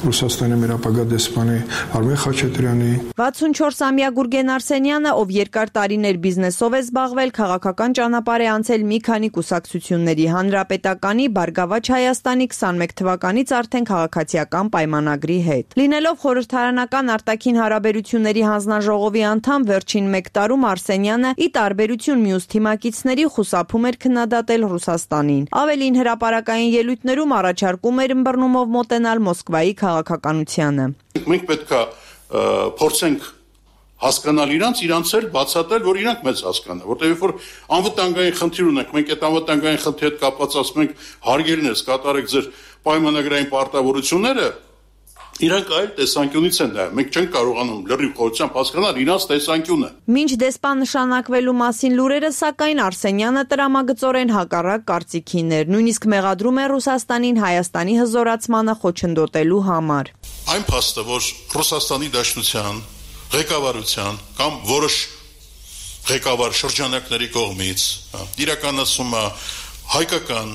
Speaker 14: Ռուսաստանի մեր ապագա դեսպանի Արմեն Խաչատրյանի
Speaker 6: 64-ամյա Գուրգեն Արսենյանը, ով երկար տարիներ բիզնեսով է զբաղվել, քաղաքական ճանապարհ է անցել մի քանի կուսակցությունների, Հանրապետականի, Բարգավաճ Հայաստանի 21 թվականից արդեն քաղաքացիական պայմանագրի հետ։ Լինելով խորհրդարանական արտաքին հարաբերությունների հանձնաժողովի անդամ, վերջին 1 տարում Արսենյանը ի տարբերություն մյուս թիմակիցների խուսափում էր քննադատել Ռուսաստանին։ Ավելին հրապարակային ելույթներում առաջարկում էր ըմբռնումով մոտենալ Մոսկվայի քաղաքականությանը։
Speaker 13: Մենք պետք է փորձենք հասկանալ իրանց էլ բացատրել, որ իրանք մեզ հասկանան, որտեղ երբ որ անվտանգային խնդիր ունենք, մենք այդ անվտանգային խնդրի հետ կապված ասում ենք հարգելնես կատարեք ձեր պայմանագրային պարտավորությունները, իրանք այլ տեսանկյունից են նայում, մենք չենք կարողանում լրիվ խորությամբ հասկանալ իրանց տեսանկյունը։
Speaker 6: Մինչ դեսպան նշանակվելու մասին լուրերը, սակայն Արսենյանը տրամագծորեն հակառակ կարծիքին էր, նույնիսկ մեղադրում է Ռուսաստանին Հայաստանի հզորացմանը խոչընդոտելու համար։
Speaker 13: Այն փաստը, որ Ռուսաստանի Դաշնության ղեկավարության կամ որոշ ղեկավար շրջանակների կողմից իրականացումը հայկական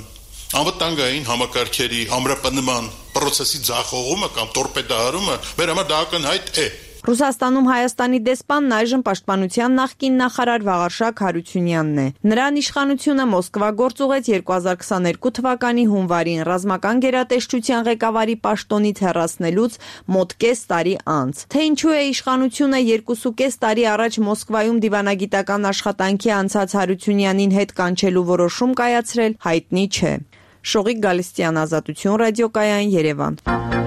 Speaker 13: անվտանգային համակարգերի ամրապնդման process-ի ձախողումը կամ տորպեդահարումը մեր համար դա ակնհայտ է։
Speaker 6: Ռուսաստանում Հայաստանի դեսպանն այժմ պաշտպանության նախկին նախարար Վաղարշակ Հարությունյանն է։ Նրան իշխանությունը Մոսկվա գործուղեց 2022 թվականի հունվարին ռազմական գերատեսչության ղեկավարի պաշտոնից հեռացնելուց մոտ կես տարի անց։ Թե ինչու է իշխանությունը 2.5 տարի առաջ Մոսկվայում դիվանագիտական աշխատանքի անցած Հարությունյանին հետ կանչելու որոշում կայացրել, հայտնի չէ։ Շողիկ Գալստյան, Ազատություն ռադիոկայան, Երևան։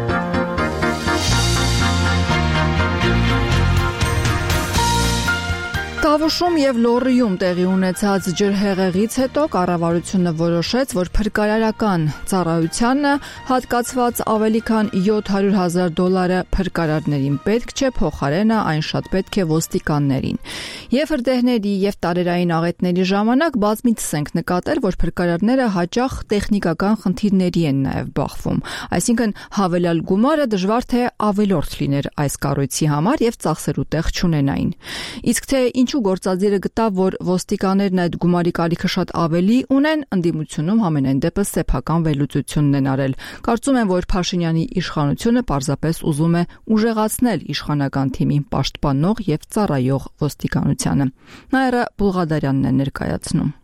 Speaker 1: Տավուշում եւ Լոռիում տեղի ունեցած ջրհեղեղից հետո կառավարությունը որոշեց, որ փրկարարական ծառայությանը հատկացված ավելի քան $700,000 փրկարարներին պետք չէ, փոխարենը այն շատ պետք է ոստիկաններին։ Եվ հրդեհների եւ տարերային աղետների ժամանակ բազմիցս ենք նկատել, որ փրկարարները հաճախ տեխնիկական խնդիրների են նաեւ բախվում, այսինքն հավելյալ գումարը դժվար թե ավելորդ լիներ այս կառույցի համար եւ ծախսելու տեղ չունենային։ Իսկ թե ինչու գործադիրը գտավ, որ ոստիկաններն այդ գումարի կարիքը շատ ավելի ունեն, ընդդիմությունում համենայն դեպս սեփական վերլուծությունն են արել։ Կարծում եմ, որ Փաշինյանի իշխանությունը պարզապես ուզում է ուժեղացնել իշխանական թիմին պաշտպանող եւ ծառայող ոստիկանությանը։ Նաիրա Բուլղադարյանն է ներկայացնում։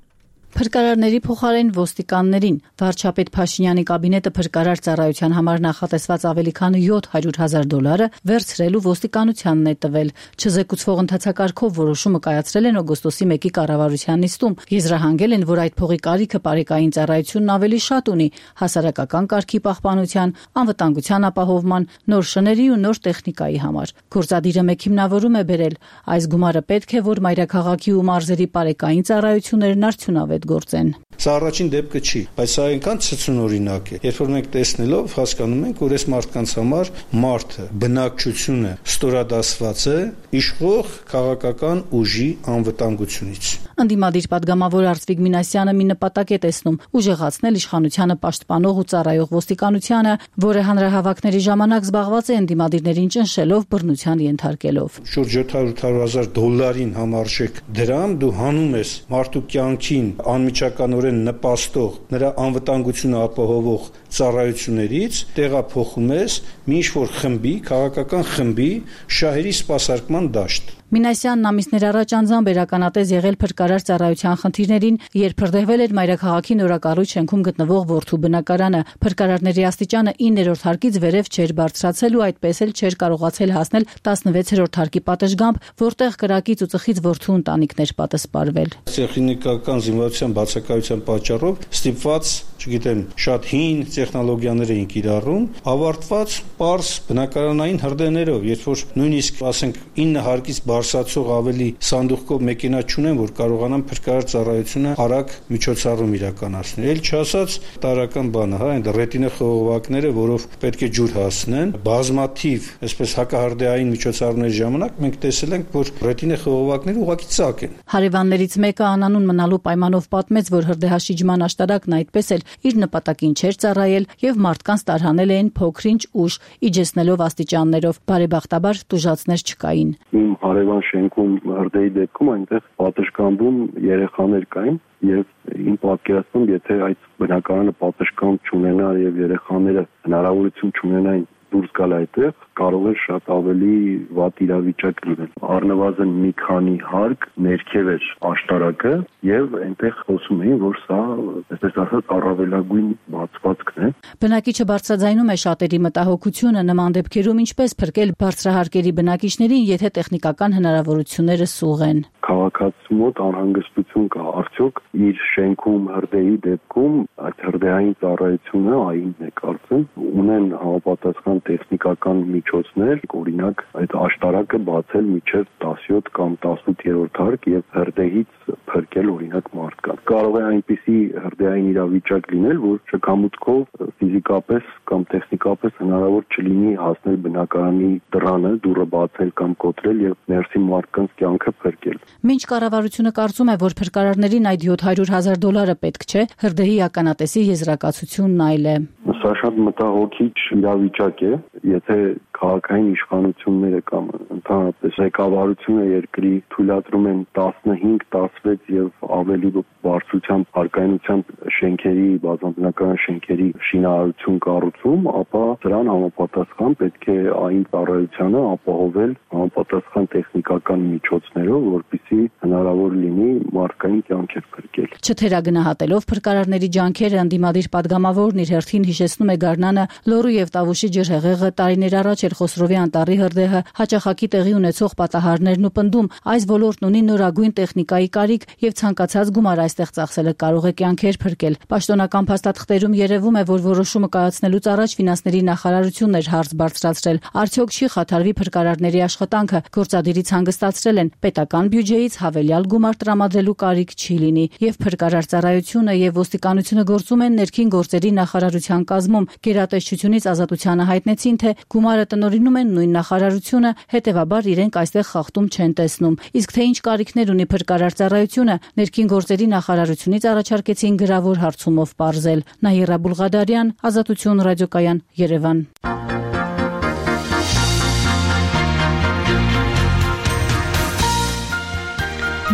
Speaker 15: Փրկարարների փոխարեն ոստիկաններին վարչապետ Փաշինյանի կաբինետը փրկարար ծառայության համար նախատեսված ավելի քան $700,000 վերցրելու ոստիկանությանն է տվել։ Չզեկուցվող ընթացակարգով որոշումը կայացրել են օգոստոսի 1-ի կառավարության նիստում։ Եզրահանգել են, որ այդ փողի կարիքը բարեկային ծառայությունն ավելի շատ ունի հասարակական կարգի պահպանության, անվտանգության ապահովման, նոր շների ու նոր տեխնիկայի համար։ Գործադիրը մեկ հիմնավորում է բերել. այս գումարը պետք է, որ մայրաքաղաքի ու մարզերի բարեկային ծառայություններն արդյունավետ գործեն։
Speaker 16: Սա առաջին դեպքը չի, բայց սա այնքան ցնցունօրինակ է, երբ որ մենք տեսնելով հասկանում ենք, որ այս մարդկանց համար մարդը, բնակչությունը ստորադասված է իշխող քաղաքական ուժի անվտանգությունից։
Speaker 15: Ընդդիմադիր պատգամավոր Արծվիկ Մինասյանը մի նպատակ է տեսնում՝ ուժեղացնել իշխանությանը պաշտպանող ու ծառայող ոստիկանությանը, որը հանրահավաքների ժամանակ զբաղված է ընդդիմադիրներին ճնշելով, բռնության ենթարկելով։
Speaker 16: Շուրջ $700,000 համարժեք դրամ դու հանում ես մարդու կյանքին անմիջականորեն նպաստող, նրա անվտանգությունը ապահովող ծառայություններից տեղափոխում ես մի ինչ-որ խմբի, քաղաքական խմբի շահերի սպասարկման դաշտ։
Speaker 15: Մինասյանն ամիսներ առաջ անձամբ էր ականատես եղել փրկարար ծառայության խնդիրներին, երբ հրդեհվել էր Մայրաքաղաքի նորակառույց շենքում գտնվող որդու բնակարանը։ Փրկարարների աստիճանը 9-րդ հարկից վերև չէր բարձրացել ու այդպես էլ չէր կարողացել հասնել 16-րդ հարկի պատշգամբ, որտեղ կրակից ու ծխից որդու ընտանիքներ պատասպարվել։
Speaker 16: Տեխնիկական զինվորության բացակայության պատճառով ստիպված, չգիտեմ, շատ հին տեխնոլոգիաներ էին կիրառում, ավարտված պարզ բնակարանային հրդեհներով, երբ որ նույնիսկ ասենք 9 հարկից բարձրացող ավելի սանդուղքով մեքենա չունեն, որ կարողանան փրկարար ծառայությունը արագ միջոցառում իրականացնել։ Էլ չասած տարական բանը, հա, այն ռետինա խողովակները, որով պետք է ջուր հասնեն, բազմաթիվ, այսպես հակահրդեհային միջոցառումների ժամանակ մենք տեսել ենք, որ ռետինա խողովակները ուղղակի ծակ են։
Speaker 15: Հարևաններից մեկը անանուն մնալու պայմանով պատմեց, որ հրդեհաշիջման աշտարակն այդպես էլ իր նպատակին չէր ծառայել եւ մարդկանց տարհանել էին փոքրինչ ուժ, իջեցնելով աստիճաններով, բարեբախտաբար տուժածներ չկային։
Speaker 17: Իմ հարևան շենքում հրդեհի դեպքում այնտեղ պատշգամբում երեխաներ կային եւ իմ պատկերացնում, եթե այդ բնակարանը պատշգամբ չունենար եւ երեխաները հնարավորություն չունենային դուրս գալ այդտեղ, կարող է շատ ավելի վատ իրավիճակ լինել։ Առնվազն մի քանի հարկ ներքև էր աշտարակը եւ այնտեղ խոսում էին, որ սա, այսպես ասած, առավելագույն բացվածքն է։
Speaker 15: Բնակիչը բարձրաձայնում է շատերի մտահոգությունը նման դեպքերում ինչպես փրկել բարձրահարկերի բնակիչներին, եթե տեխնիկական հնարավորությունները սուղ են։
Speaker 17: Քաղաքացու մոտ անհանգստություն կա, արդյոք իր շենքում հրդեհի դեպքում այդ հրդեհային ծառայությունը այնն է կարծում ունեն համապատասխան տեխնիկական միջոցներ, օրինակ այդ աշտարակը բացել մինչև 17 կամ 18-րդ հարկ եւ հրդեհից փրկել օրինակ մարդկանց։ Կարող է այնպիսի հրդեհային իրավիճակ լինել, որ շքամուտքով ֆիզիկապես կամ տեխնիկապես հնարավոր չլինի հասնել բնակարանի դռանը, դուռը բացել կամ կոտրել եւ ներսի մարդկանց կյանքը փրկել։
Speaker 15: Մինչ կառավարությունը կարծում է, որ փրկարարներին այդ $700,000 պետք չէ, հրդեհի ականատեսի եզրակացությունն այլ է։
Speaker 17: Սա շատ մտահոգիչ իրավիճակ է, եթե քաղաքային իշխանությունները կամ ընդհանրապես ղեկավարությունը երկրի թույլատրում են 15, 16 եւ ավելի բարձրությամբ հարկայնությամբ շենքերի, բազմաբնակարան շենքերի շինարարություն կառուցում, ապա դրան համապատասխան պետք է այն ծառայությանը ապահովել համապատասխան տեխնիկական միջոցներով, որպեսզի հնարավոր լինի մարդկային կյանքեր փրկել։
Speaker 15: Չթերագնահատելով փրկարարների ջանքերը ընդդիմադիր падգամավորն իր հերթին հիշեցնում է Գառնանը Լոռու եւ Տավուշի ջրհեղեղը տարիներ առաջ էր Խոսրովի անտառի հրդեհը, հաճախակի տեղի ունեցող պատահարներն ու պնդում այս ոլորտն ունի նորագույն տեխնիկայի կարիք եւ ցանկացած գումար այստեղ ծախսելը կարող է կյանքեր փրկել։ Պաշտոնական փաստաթղթերում երևում է, որ որոշումը կայացնելուց առաջ ֆինանսների նախարարությունն էր հարց բարձրացրել։ Արդյոք չի խաթարվի փրկարարների աշխատանքը, գործադիրից հանգստացրել են, պետական բյուջեից հավելյալ գումար տրամադրելու կարիք չի լինի եւ փրկարար ծառայությունը եւ ոստիկանությունը գործում են ներքին գործերի նախարարության կազմում։ Գերատեսչությունից ազատությանը հայտնեցին, թե գումարը տնօրինում են նույն նախարարությունը, հետեւաբար իրենք այստեղ խախտում չեն տեսնում։ Իսկ թե ինչ կարիքներ ունի փրկարար ծառայությունը, ներքին գործերի նախարարությունից առաջարկեցին գրավոր հարցումով պարզել։ Նահիրա Բուլղադարյան, Ազատություն ռադիոկայան, Երևան։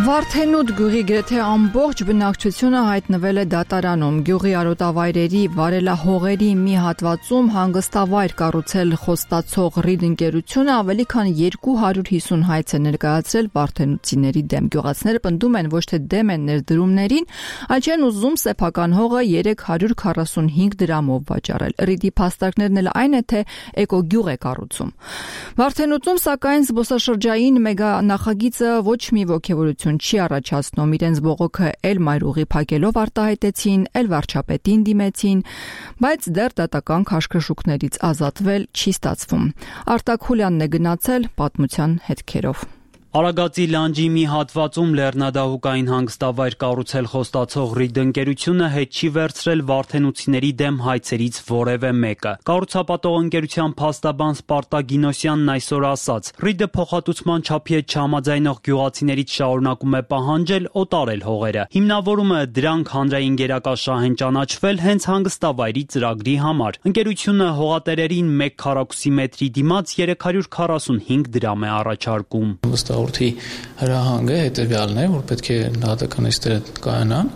Speaker 1: Վարդենուտ գյուղի գրեթե ամբողջ բնակչությունը հայտնվել է դատարանում։ Գյուղի արոտավայրերի վարելահողերի մի հատվածում հանգստավայր կառուցել խոստացող Ռիդ ընկերությունը ավելի քան 250 հայց է ներկայացրել վարդենուտցիների դեմ։ Գյուղացիները պնդում են ոչ թե դեմ են ներդրումներին, այլ չեն ուզում սեփական հողը 345 դրամով վաճառել։ Ռիդի փաստարկներն էլ այն է, թե էկոգյուղ է կառուցում։ Վարդենուտում սակայն զբոսաշրջային մեգանախագիծը ոչ մի ոգևորություն չի առաջացնում, իրենց բողոքը էլ մայրուղի փակելով արտահայտեցին, էլ վարչապետին դիմեցին, բայց դեռ դատական քաշքշուկներից ազատվել չի ստացվում։ Արտակ Խուլյանն է գնացել պատմության հետքերով։
Speaker 18: Արագածի լանջի մի հատվածում լեռնադահուկային հանգստավայր կառուցել խոստացող Ռիդ ընկերությունը հետ չի վերցրել վարդենուտցիների դեմ հայցերից որևէ մեկը։ Կառուցապատող ընկերության փաստաբան Սպարտակ Գինոսյանն այսօր ասաց. Ռիդը փոխհատուցման չափի հետ չհամաձայնող գյուղացիներից շարունակում է պահանջել օտարել հողերը։ Հիմնավորումը դրանք հանրային գերակաշահ են ճանաչվել հենց հանգստավայրի ծրագրի համար։ Ընկերությունը հողատերերին 1 քառակուսի մետրի դիմաց 345 դրամ է առաջարկում։
Speaker 19: Հաղորդի հրահանգը հետևյալն է, որ պետք է դատական էստերը կայանան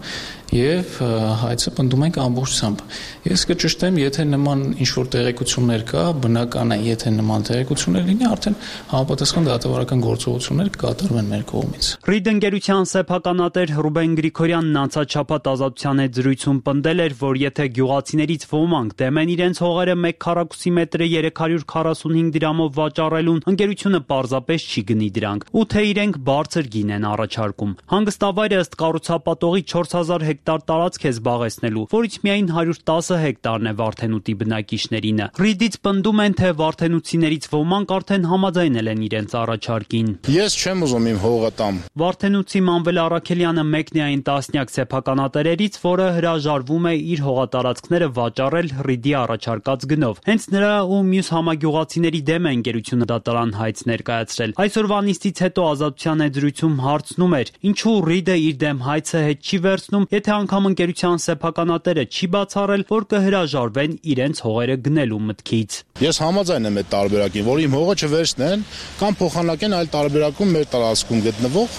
Speaker 19: եւ հայցը պնդում ենք ամբողջությամբ։ Ես կճշտեմ, եթե նման ինչ-որ տեղեկություններ կա, բնական է, եթե նման տեղեկություններ լինի, արդեն համապատասխան դատավարական գործողություններ կկատարվեն մեր կողմից։
Speaker 18: Ռիդ ընկերության սեփականատեր Ռուբեն Գրիգորյանն անցաչափած ազատության հետ զրույցում պնդել էր, որ եթե գյուղացիներից ոմանք դեմ են իրենց հողերը 1 քառակուսի մետրը 345 դրամով վաճառելուն, ընկերությունը պարզապես չի գնի դրանք, ու թե իրենք բարձր գին են առաջարկում։ Հանգստավայրը ըստ կառուցապատողի 4000 հեկտար տարածք է զբաղեցնելու, որից միայն 110 հեկտարն է Վարդենուտի բնակիչներինը։ Ռիդից պնդում են, թե վարդենուտցիներից ոմանք արդեն համաձայնել են իրենց առաջարկին։
Speaker 20: Ես չեմ ուզում իմ հողը տամ։
Speaker 18: Վարդենուտցի Մանվել Առաքելյանը մեկն է այն տասնյակ սեփականատերերից, որը հրաժարվում է իր հողատարածքները վաճառել Ռիդի առաջարկած գնով։ Հենց նրա ու մյուս համագյուղացիների դեմ է ընկերությունը դատարան հայց ներկայացրել։ Այսօրվա նիստից հետո ազատության հետ զրույցում հարցնում էր, ինչու Ռիդը իր դեմ հայցը հետ չի վերցնում, եթե անգամ ընկերության սեփականատերը չի բացառել, որ կհրաժարվեն իրենց հողերը գնելու մտքից։
Speaker 20: Ես համաձայն եմ այդ տարբերակին, որ իմ հողը չվերցնեն կամ փոխանակեն այլ տարբերակում մեր տարածքում գտնվող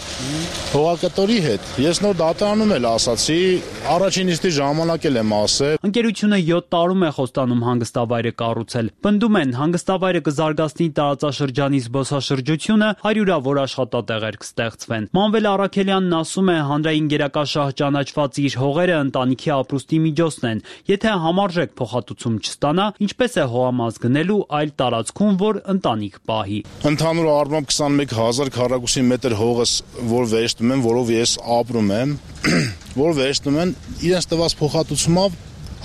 Speaker 20: հողակտորի հետ։ Ես նոր դատարանում էլ ասացի, առաջին նիստի ժամանակ էլ եմ ասել։
Speaker 18: Ընկերությունը 7 տարում է խոստանում հանգստավայրը կառուցել։ Պնդում են, հանգստավայրը կզարգացնի տարածաշրջանի զբոսաշրջությունը, հարյուրավոր աշխատատեղեր կստեղծվեն։ Մանվել Առաքելյանն ասում է, հանրային գերակաշահ ճանաչված իր հողերը ընտանիքի ապրուստի միջոցն են։ Եթե համարժեք փոխհատուցում չստանա, ինչպես է հողամաս գնելու այլ տարածքում, որ ընտանիք պահի։
Speaker 20: Ընդհանուր առմամբ 21000 քառակուսի մետր հողս, որ վերցնում եմ, որով ես ապրում եմ, որ վերցնում են իրենց տված փոխհատուցումով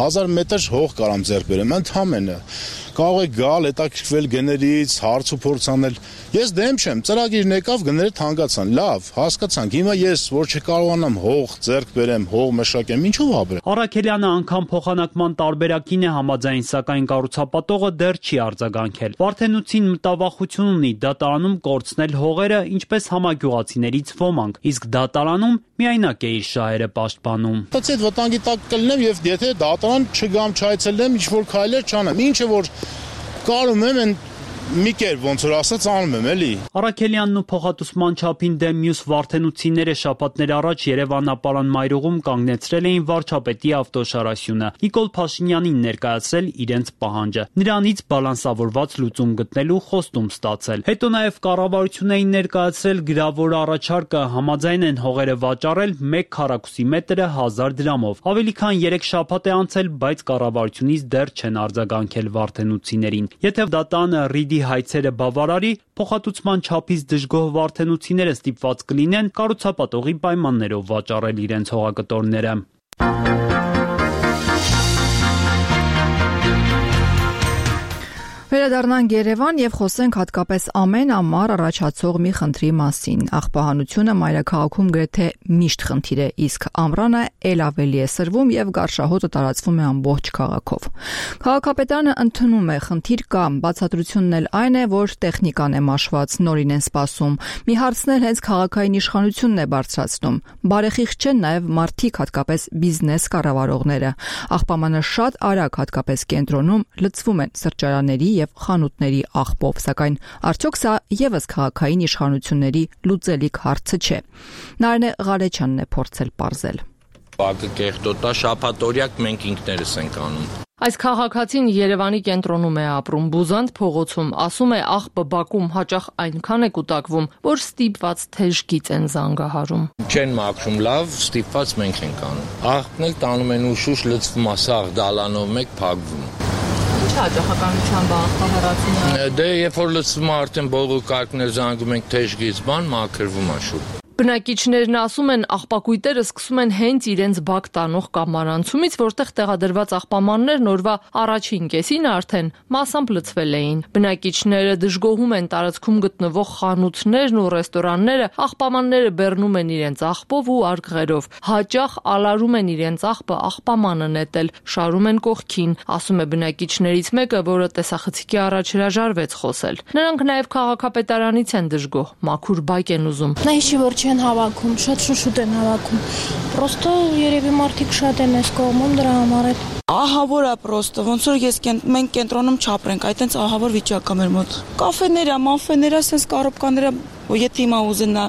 Speaker 20: 1000 մետր հող կարամ ձեռք բերեմ, ընդհանրապես կարող է գալ, հետաքրքրվել գներից, հարց ու փորձ անել։ Ես դեմ չեմ, ծրագիրն եկավ, գները թանկացան, լավ, հասկացանք։ Հիմա ես, որ չկարողանամ հող ձեռք բերեմ, հող մշակեմ, ինչով ապրեմ։
Speaker 18: Առաքելյանը անգամ փոխանակման տարբերակին է համաձայն, սակայն կառուցապատողը դեռ չի արձագանքել։ Վարդենուտցին մտավախություն ունի դատարանում կորցնել հողերը, ինչպես համագյուղացիներից ոմանք, իսկ դատարանում միայնակ է իր շահերը պաշտպանում։
Speaker 20: Այդ վտանգի տակ կլինեմ, եւ եթե պատան, չգամ չայցելեմ, ինչ որ քայլեր չանեմ։ Ինչը որ կարում եմ են մի կերպ ոնց որ ասած անում եմ էլի։
Speaker 18: Արաքելյանն ու փոխհատուցման չափին դեմ մյուս վարդենությունները շաբաթներ առաջ Երևանապարան մայրուղում կանգնեցրել էին վարչապետի ավտոշարասյունը։ Նիկոլ Փաշինյանին ներկայացրել իրենց պահանջը։ Նրանից բալանսավորված լուծում գտնելու խոստում ստացել։ Հետո նաև կառավարություն էին ներկայացրել գրավոր առաջարկը, համաձայն են հողերը վաճառել 1 քառակուսի մետրը 1000 դրամով։ Ավելի քան 3 շաբաթ է անցել, բայց կառավարությունից դեռ չեն արձագանքել վարդենություններին։ Եթե դատանը հայցերը բավարարի, փոխհատուցման չափից դժգոհ վարդենությունները ստիպված կլինեն կառուցապատողի պայմաններով վաճառել իրենց հողակտորները։
Speaker 1: Վերադառնանք Երևան եւ խոսենք հատկապես ամեն ամառ առաջացող մի խնդրի մասին։ Աղբահանությունը մայրաքաղաքում գրեթե միշտ խնդիր է, իսկ ամռանը ել ավելի է սրվում եւ գարշահոտը տարածվում է ամբողջ քաղաքով։ Քաղաքապետարանը ընդունում է խնդիր կա, բացատրությունն էլ այն է, որ տեխնիկան է մաշված, նորին են սպասում։ Մի հարցն էլ հենց քաղաքային իշխանությունն է բարձրացնում։ Բարեխիղճ չեն նաեւ մարդիկ, հատկապես բիզնես կառավարողները։ Աղբամանը շատ արագ, հատկապես կենտրոնում, լցվում են սրճարանների եւ խանութների աղբով, սակայն արդյոք սա եւս քաղաքային իշխանությունների լուծելիք հարցը չէ։ Նարինե Ղարեչյանն է փորձել պարզել։
Speaker 21: Բակը կեղտոտա, շաբաթօրյակ մենք ինքներս ենք անում։
Speaker 22: Այս քաղաքացին Երևանի կենտրոնում է ապրում, Բուզանդ փողոցում, ասում է աղբը բակում հաճախ այնքան է կուտակվում, որ ստիպված թեժ գիծ են զանգահարում։
Speaker 21: Չեն մաքրում լավ, ստիպված մենք ենք անում։ Աղբն էլ տանում են ուշուշ լցվում, ասաղ դալանով մեկ փակվում։
Speaker 22: Ինչ հաճախականությամբ աղբահեռացումը։
Speaker 21: Դե երբ որ լցվում է արդեն բողոքարկներ զանգում ենք թեժ գիծ բան, մաքրվում է շուտ։
Speaker 22: Բնակիչներն ասում են, աղբակույտերը սկսում են հենց իրենց բակ տանող կամարանցումից, որտեղ տեղադրված աղբամաններն օրվա առաջին կեսին արդեն մասամբ լցվել էին։ Բնակիչները դժգոհում են տարածքում գտնվող խանութներն ու ռեստորանները, աղբամանները բեռնում են իրենց աղբով ու արգղերով։ Հաճախ ալարում են իրենց աղբը աղբամանը նետել, շարում են կողքին, ասում է բնակիչներից մեկը, որը տեսախցիկի առաջ հրաժարվեց խոսել։ Նրանք նաև քաղաքապետարանից են դժգոհ, մաքուր բակ են ուզում։
Speaker 23: Չեն հավաքում, շատ շուտ են հավաքում։ Պրոստո երևի մարդիկ շատ են այս կողմում դրա համար է։
Speaker 24: Ահավոր է պրոստո, ոնց որ մենք կենտրոնում չապրենք, այտենց ահավոր վիճակ է մեր մոտ։ Կաֆեները, մաֆեները, sense կառոպկաները, եթե հիմա ուզենա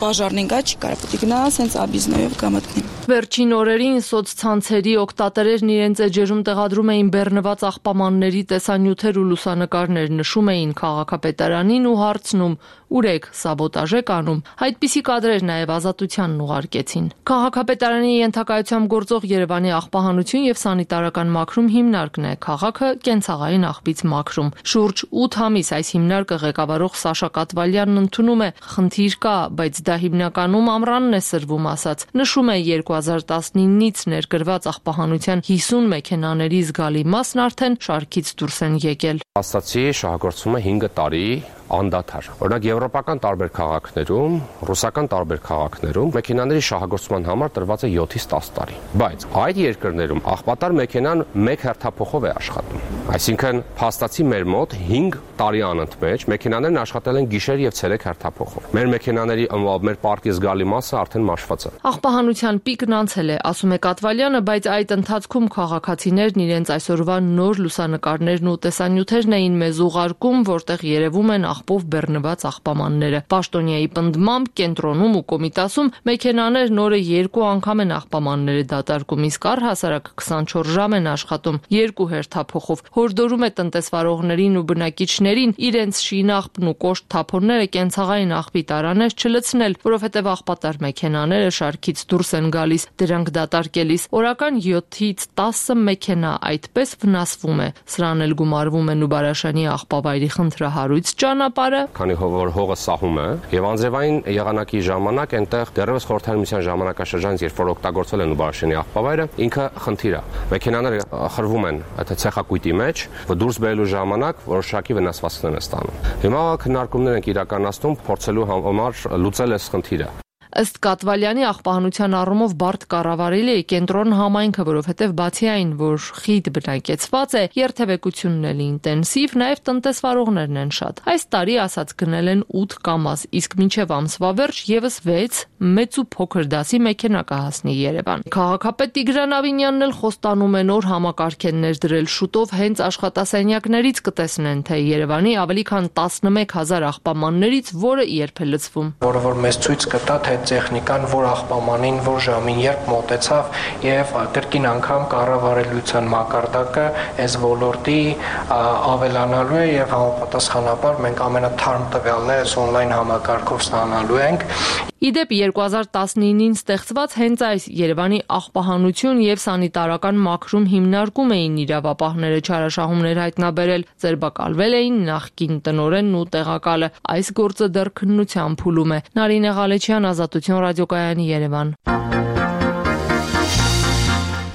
Speaker 24: բաժարնին գա, չի կարող պետք է գնա, sense աբիզնոյով կամտնի։
Speaker 22: Վերջին օրերին սոցցանցերի օգտատերերն իրենց էջերում տեղադրում էին բեռնված աղբամանների տեսանյութեր ու լուսանկարներ, նշում էին քաղաքապետարանին ու հարցնում՝ ուր եք, սաբոտաժ եք անում։ Այդպիսի կադրեր նաև Ազատությանն ուղարկեցին։ Քաղաքապետարանի ենթակայությամբ գործող Երևանի աղբահանություն եւ սանիտարական մաքրում հիմնարկն է, քաղաքը կենցաղային աղբից մաքրում։ Շուրջ 8 ամիս այս հիմնարկը ղեկավարող Սաշա Կատվալյանն ընդունում է խնդիր կա, բայց դա հիմնականում ամռանն է սրվում ասած։ Նշում է 2019-ից ներգրված աղբահանության 50 մեքենաների զգալի մասն արդեն շարքից դուրս են եկել։
Speaker 25: Ասացի շահագործումը 5 տարի անդադար։ Օրինակ եվրոպական տարբեր քաղաքներում, ռուսական տարբեր քաղաքներում մեքենաների շահագործման համար տրված է 7-ից 10 տարի։ Բայց այդ երկրներում աղբատար մեքենան 1 հերթափոխով է աշխատում։ Այսինքն փաստացի մեր մոտ 5 տարի անընդմեջ մեքենաներն աշխատել են գիշեր եւ ցերեկ հերթափոխով։ Մեր մեքենաների մեր պարկի զգալի մասը արդեն մաշված է։
Speaker 22: Աղբահանության պիկն անցել է, ասում է Կատվալյանը, բայց այդ ընթացքում քաղաքացիներն իրենց այսօրվա նոր լուսանկարներն ու տեսանյութերն էին մեզ ուղարկում, որտեղ երևում են աղբով բեռնված աղբամանները։ Պաշտոնյայի պնդմամբ կենտրոնում ու Կոմիտասում մեքենաներն օրը 2 անգամ են աղբամանները դատարկում, իսկ առհասարակ 24 ժամ են աշխատում 2 հերթափոխով։ Հորդորում է տնտեսվարողներին ու բնակիչներին իրենց շինաղբն ու կոշտ թափոնները կենցաղային աղբի տարաներ չլցնել, որովհետև աղբատար մեքենաները շարքից դուրս են գալիս, դրանք դատարկելիս օրական 7-ից 10 մեքենա այդպես վնասվում է։ Սրան էլ գումարվում է Նուբարաշանի աղբավայրի խնդրահարույց ճանապարհը,
Speaker 25: քանի որ հողը սահում է եւ անձրևային եղանակի ժամանակ այնտեղ դեռևս խորհրդային միության ժամանակաշրջանից երբ որ օգտագործել են Նուբարաշանի աղբավայրը, ինքը խնդիր է։ Մեքենաները խրվում են այդ ցեխակույտի մեջ, որ դուրս բերելու ժամանակ որոշակի վնասվածքներ են ստանում։ Հիմա քննարկումներ են իրականացնում փորձելու համար լուծել այս խնդիրը։
Speaker 22: Ըստ Կատվալյանի աղբահանության առումով բարդ կառավարելի է կենտրոն համայնքը, որովհետև բացի այն, որ խիտ բնակեցված է, երթևեկությունն էլ ինտենսիվ, նաև տնտեսվարողներն են շատ։ Այս տարի ասած գնել են 8 կամազ, իսկ մինչև ամսվա վերջ եւս 6 մեծ ու փոքր դասի մեքենա կհասնի Երևան։ Քաղաքապետ Տիգրան Ավինյանն էլ խոստանում է նոր համակարգեր դրել շուտով հենց աշխատասենյակներից կտեսնեն, թե Երևանի ավելի քան 11000 աղբամաններից որը երբ է լցվում։
Speaker 2: Որը որ մեզ ցույց կտա, թե տեխնիկան որ աղբամանին, որ ժամին երբ մոտեցավ եւ կրկին անգամ կառավարելիության մակարդակը այս ոլորտի ավելանալու է եւ համապատասխանաբար մենք ամենաթարմ տվյալները on-line համակարգով ստանալու ենք։
Speaker 22: Իդեպ 2019-ին ստեղծված հենց այս Երևանի աղբահանություն եւ սանիտարական մաքրում հիմնարկում էին իրավապահները չարաշահումներ հայտնաբերել, ձերբակալվել էին նախկին տնօրենն ու տեղակալը։ Այս գործը դեռ քննության փուլում է։ Նարինե Ղալեչյան, Ազատություն ռադիոկայանի, Երևան։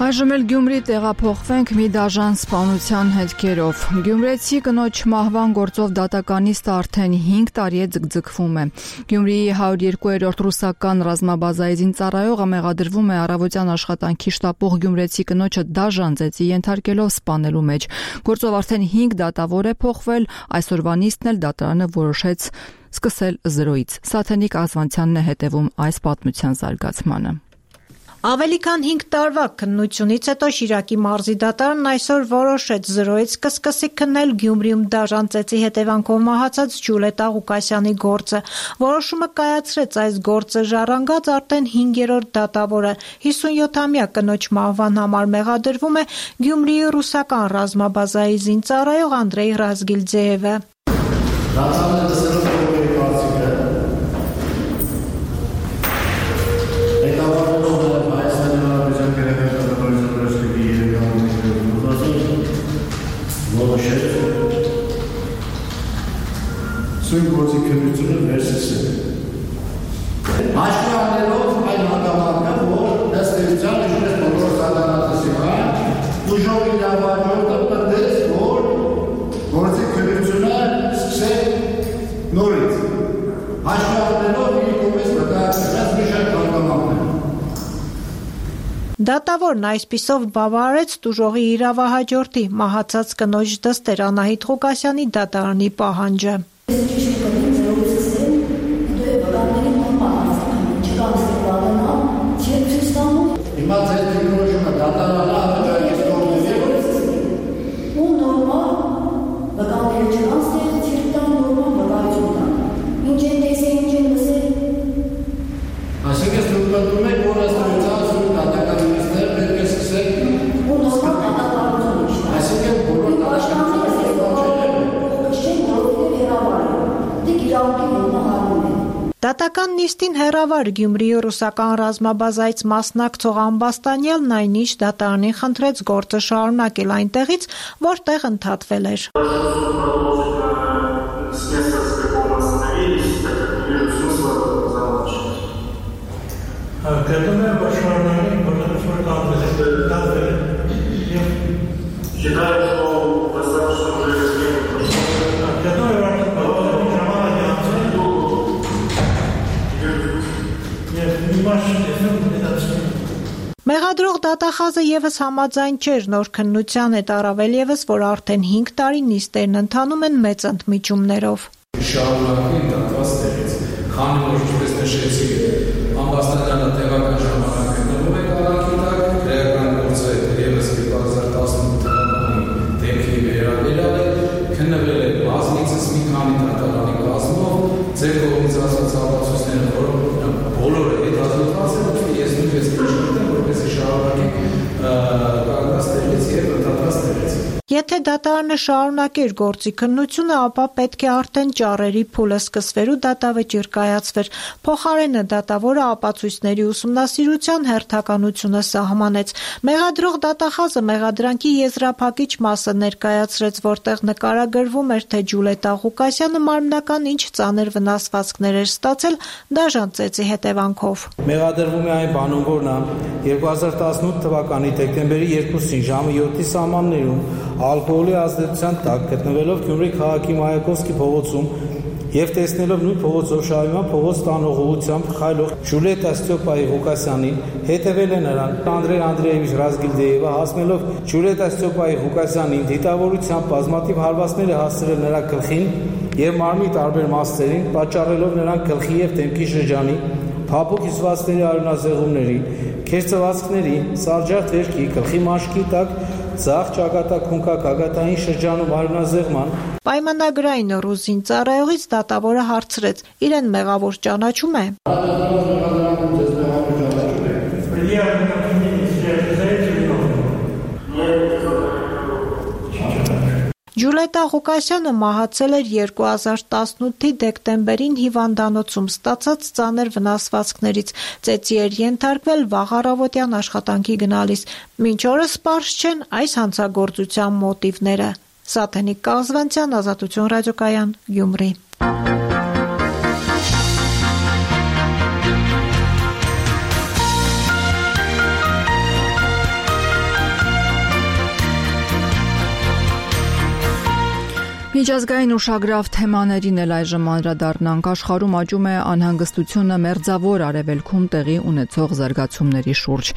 Speaker 1: Այժմ էլ Գյումրի տեղափոխվենք մի դաժան սպանության հետքերով։ Գյումրեցի կնոջ մահվան գործով դատականիստը արդեն 5 տարի է ձգձգվում է։ Գյումրիի 102-րդ ռուսական ռազմաբազայի զինծառայողը մեղադրվում է առավոտյան աշխատանքի շտապող գյումրեցի կնոջը դաժան ծեծի ենթարկելով սպանելու մեջ։ Գործով արդեն 5 դատավոր է փոխվել, այսօրվա նիստն էլ դատարանը որոշեց սկսել 0-ից։ Սաթենիկ Ազվանցյանն է հետևում այս պատմության զարգացմանը։
Speaker 3: Ավելի քան 5 տարվա քննությունից հետո Շիրակի մարզի դատարանն այսօր որոշեց 0-ից կսկսի քննել Գյումրիում դաժան ծեծի հետևանքով մահացած Ջուլիետ Աղուկասյանի գործը։ Որոշումը կայացրեց այս գործը ժառանգած արդեն 5-րդ դատավորը 57-ամյա կնոջ մահվան համար մեղադրվում է Գյումրիի ռուսական ռազմաբազայի զինծառայող Անդրեյ Ռազգիլձեևը։
Speaker 4: Սույն գործի քննությունը վերսիսել։ Հաշվի առնելով այն հանգամանքը, որ ըստ էության ինչպես բոլոր սադանատեսական ուժով իրավաճորը պնդեց, որ գործի քննությունը սկսել նորից։ Հաշվի առնելով իր կողմից մտածած մի շարք հանգամանքներ։
Speaker 3: Դատավորն այսպիսով բավարարեց տուժողի իրավահաջորդի մահացած կնոջ դստեր Անահիտ Ղուկասյանի դատարանի պահանջը։
Speaker 4: Հիմա ձեր դիրքորոշումը դատարանը հաջողից կողմից
Speaker 5: ու նորմալ վկայել չկան ստեղ չկան նորմալ վկայություն։ Ինչ են տեսել, ինչ են լսել։
Speaker 4: Այսինքն դուք պատմում եք, որ ըստ էության դատականիստներ պետք է սկսել
Speaker 5: ու նորմալ դատականություն է։
Speaker 4: Այսինքն բոլոր
Speaker 3: Դատական նիստին հեռավար Գյումրիի ռուսական ռազմաբազայից մասնակցող Ամբաստանյալն այնիշ դատարանին խնդրեց գործը շարունակել այնտեղից, որտեղ ընդհատվել էր։ Մեղադրող դատախազը եւս համաձայն չէր նոր քննության հետ, առավել եւս, որ արդեն 5 տարի նիստերն ընթանում են մեծ ընդմիջումներով։
Speaker 8: Շարունակի դատված տեղից, քանի որ ինչպես նշեցի, Ամբաստանյանը տեղական ժամանակ գտնվում է քաղաքի տակ, քրեական գործը եւս 2018 թվականի դեպքի վերաբերյալ քննվել է բազմիցս մի քանի դատարանի կազմով, ձեր կողմից ասած ապացույցները, որոնք բոլորը հետազոտված են, ես նույնպես միշտ որպեսզի շարունակի կանգնած տեղից եւ ընդհատված տեղից։
Speaker 3: Եթե դատարանը շարունակեր գործի քննությունը, ապա պետք է արդեն ճառերի փուլը սկսվեր ու դատավճիռ կայացվեր։ Փոխարենը դատավորը ապացույցների ուսումնասիրության հերթականությունը սահմանեց։ Մեղադրող դատախազը մեղադրանքի եզրափակիչ մասը ներկայացրեց, որտեղ նկարագրվում էր, թե Ջուլիետ Աղուկասյանը մարմնական ինչ ծանր վնասվածքներ էր ստացել դաժան ծեծի հետևանքով։
Speaker 16: Մեղադրվում է այն բանում, որ նա 2018 թվականի դեկտեմբերի 2-ին ժամը 7-ի սահմաններում ալկոհոլի ազդեցության տակ գտնվելով Գյումրի քաղաքի Մայակովսկի փողոցում եւ տեսնելով նույն փողոցով շարժման փողոց տանող ուղությամբ խայլող Ժուլիետա Ստյոպայի Ղուկասյանին հետևել է նրան Անդրեյ Անդրեևիչ Ռազգիլդեևը հասնելով Ժուլիետա Ստյոպայի Ղուկասյանին դիտավորությամբ բազմաթիվ հարվածներ է հասցրել նրա գլխին եւ մարմնի տարբեր մասերին պատճառելով նրան գլխի եւ դեմքի շրջանի փափուկ հյուսվածքների արյունազեղումների, քերծվածքների, սարժարտ վերքի, գլխի մաշկի տակ Ձախ ճակատագունքա գագաթային շրջանում արյունազեղման
Speaker 3: Պայմանագրային ռուզին ծառայողից դատավորը հարցրեց. իրեն մեղավոր ճանաչում է։ Ջուլիետա Ղուկասյանը մահացել էր 2018-ի դեկտեմբերին հիվանդանոցում ստացած ծանր վնասվածքներից, ծեծի էր ենթարկվել վաղ առավոտյան աշխատանքի գնալիս։ Մինչ օրս պարզ չեն այս հանցագործության մոտիվները։ Սաթենիկ Կազվանցյան, Ազատություն ռադիոկայան, Գյումրի։
Speaker 1: Միջազգային ուշագրավ թեմաներին էլ այժմ անդրադառնանք։ Աշխարհում աճում է անհանգստությունը մերձավոր արևելքում տեղի ունեցող զարգացումների շուրջ։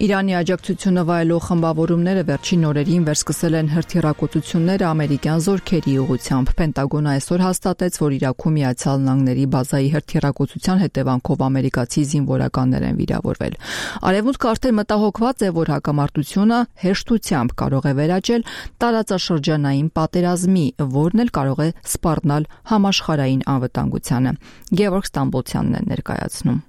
Speaker 1: Իրանի աջակցությունը վայելող խմբավորումները վերջին օրերին վերսկսել են հրթիռակոծությունները ամերիկյան զորքերի ուղղությամբ։ Պենտագոնը այսօր հաստատեց, որ Իրաքում Միացյալ Նահանգների բազայի հրթիռակոծության հետևանքով ամերիկացի զինվորականներ են վիրավորվել։ Արևմուտքը արդեն մտահոգված է, որ հակամարտությունը հեշտությամբ կարող է վերաճել տարածաշրջանային պատերազմի, որն էլ կարող է սպառնալ համաշխարհային անվտանգությանը։ Գևորգ Ստամբոլցյանն է ներկայացնում։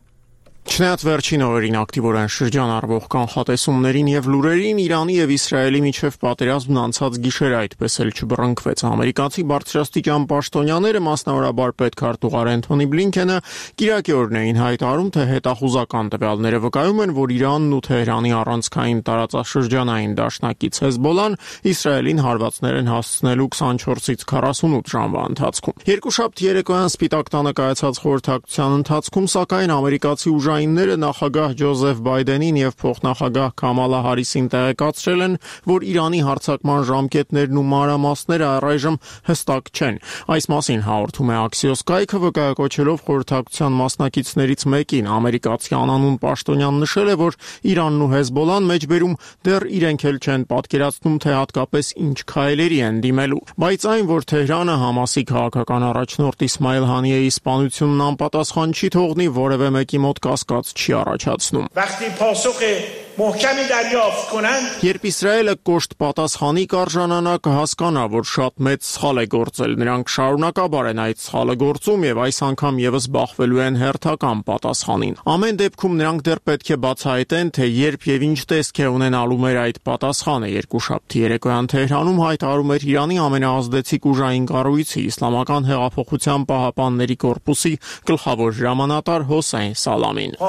Speaker 7: Չնայած վերջին օրերին ակտիվորեն շրջանառվող կանխատեսումներին եւ լուրերին, Իրանի եւ Իսրայելի միջև պատերազմն անցած գիշեր այդպես էլ չբռնկվեց։ Ամերիկացի բարձրաստիճան պաշտոնյաները, մասնավորաբար պետքարտուղար Էնթոնի Բլինքենը, կիրակի օրն էին հայտարարում, թե հետախուզական տվյալները վկայում են, որ Իրանն ու Թեհրանի առանցքային տարածաշրջանային դաշնակից Հեզբոլան Իսրայելին հարվածներ են հասցնելու 24-ից 48 ժամվա ընթացքում։ Երկուշաբթի երեկոյան Սպիտակ տանը կայացած խորհրդակցության ընթացքում, սակայն ամերիկացի ուժայինները նախագահ Ջոզեֆ Բայդենին եւ փոխնախագահ Քամալա Հարիսին տեղեկացրել են, որ Իրանի հարձակման ժամկետներն ու մանրամասները առայժմ հստակ չեն։ Այս մասին հաղորդում է Axios կայքը, վկայակոչելով խորհրդակցության մասնակիցներից մեկին, ամերիկացի անանուն պաշտոնյան նշել է, որ Իրանն ու Հեզբոլան մեջբերում դեռ իրենք էլ չեն պատկերացնում, թե հատկապես ինչ քայլերի են դիմելու։ Բայց այն, որ Թեհրանը Համասի քաղաքական առաջնորդ Իսմայիլ Հանիեի սպանությունն անպատասխան չի թողնի, որևէ մեկի մոտ կասկած չի առաջացնում։ Երբ Իսրայելը կոշտ պատասխանի կարժանանա, կհասկանա, որ շատ մեծ սխալ է գործել։ Նրանք շարունակաբար են այդ սխալը գործում եւ այս անգամ եւս բախվելու են հերթական պատասխանին։ Ամեն դեպքում նրանք դեռ պետք է բացահայտեն, թե երբ եւ ինչ տեսք է ունենալու մեր այդ պատասխանը։ Երկուշաբթի երեկոյան Թեհրանում հայտարարում էր Իրանի ամենաազդեցիկ ուժային կառույցի Իսլամական հեղափոխության պահապանների կորպուսի գլխավոր հրամանատար Հոսեյն Սալամին։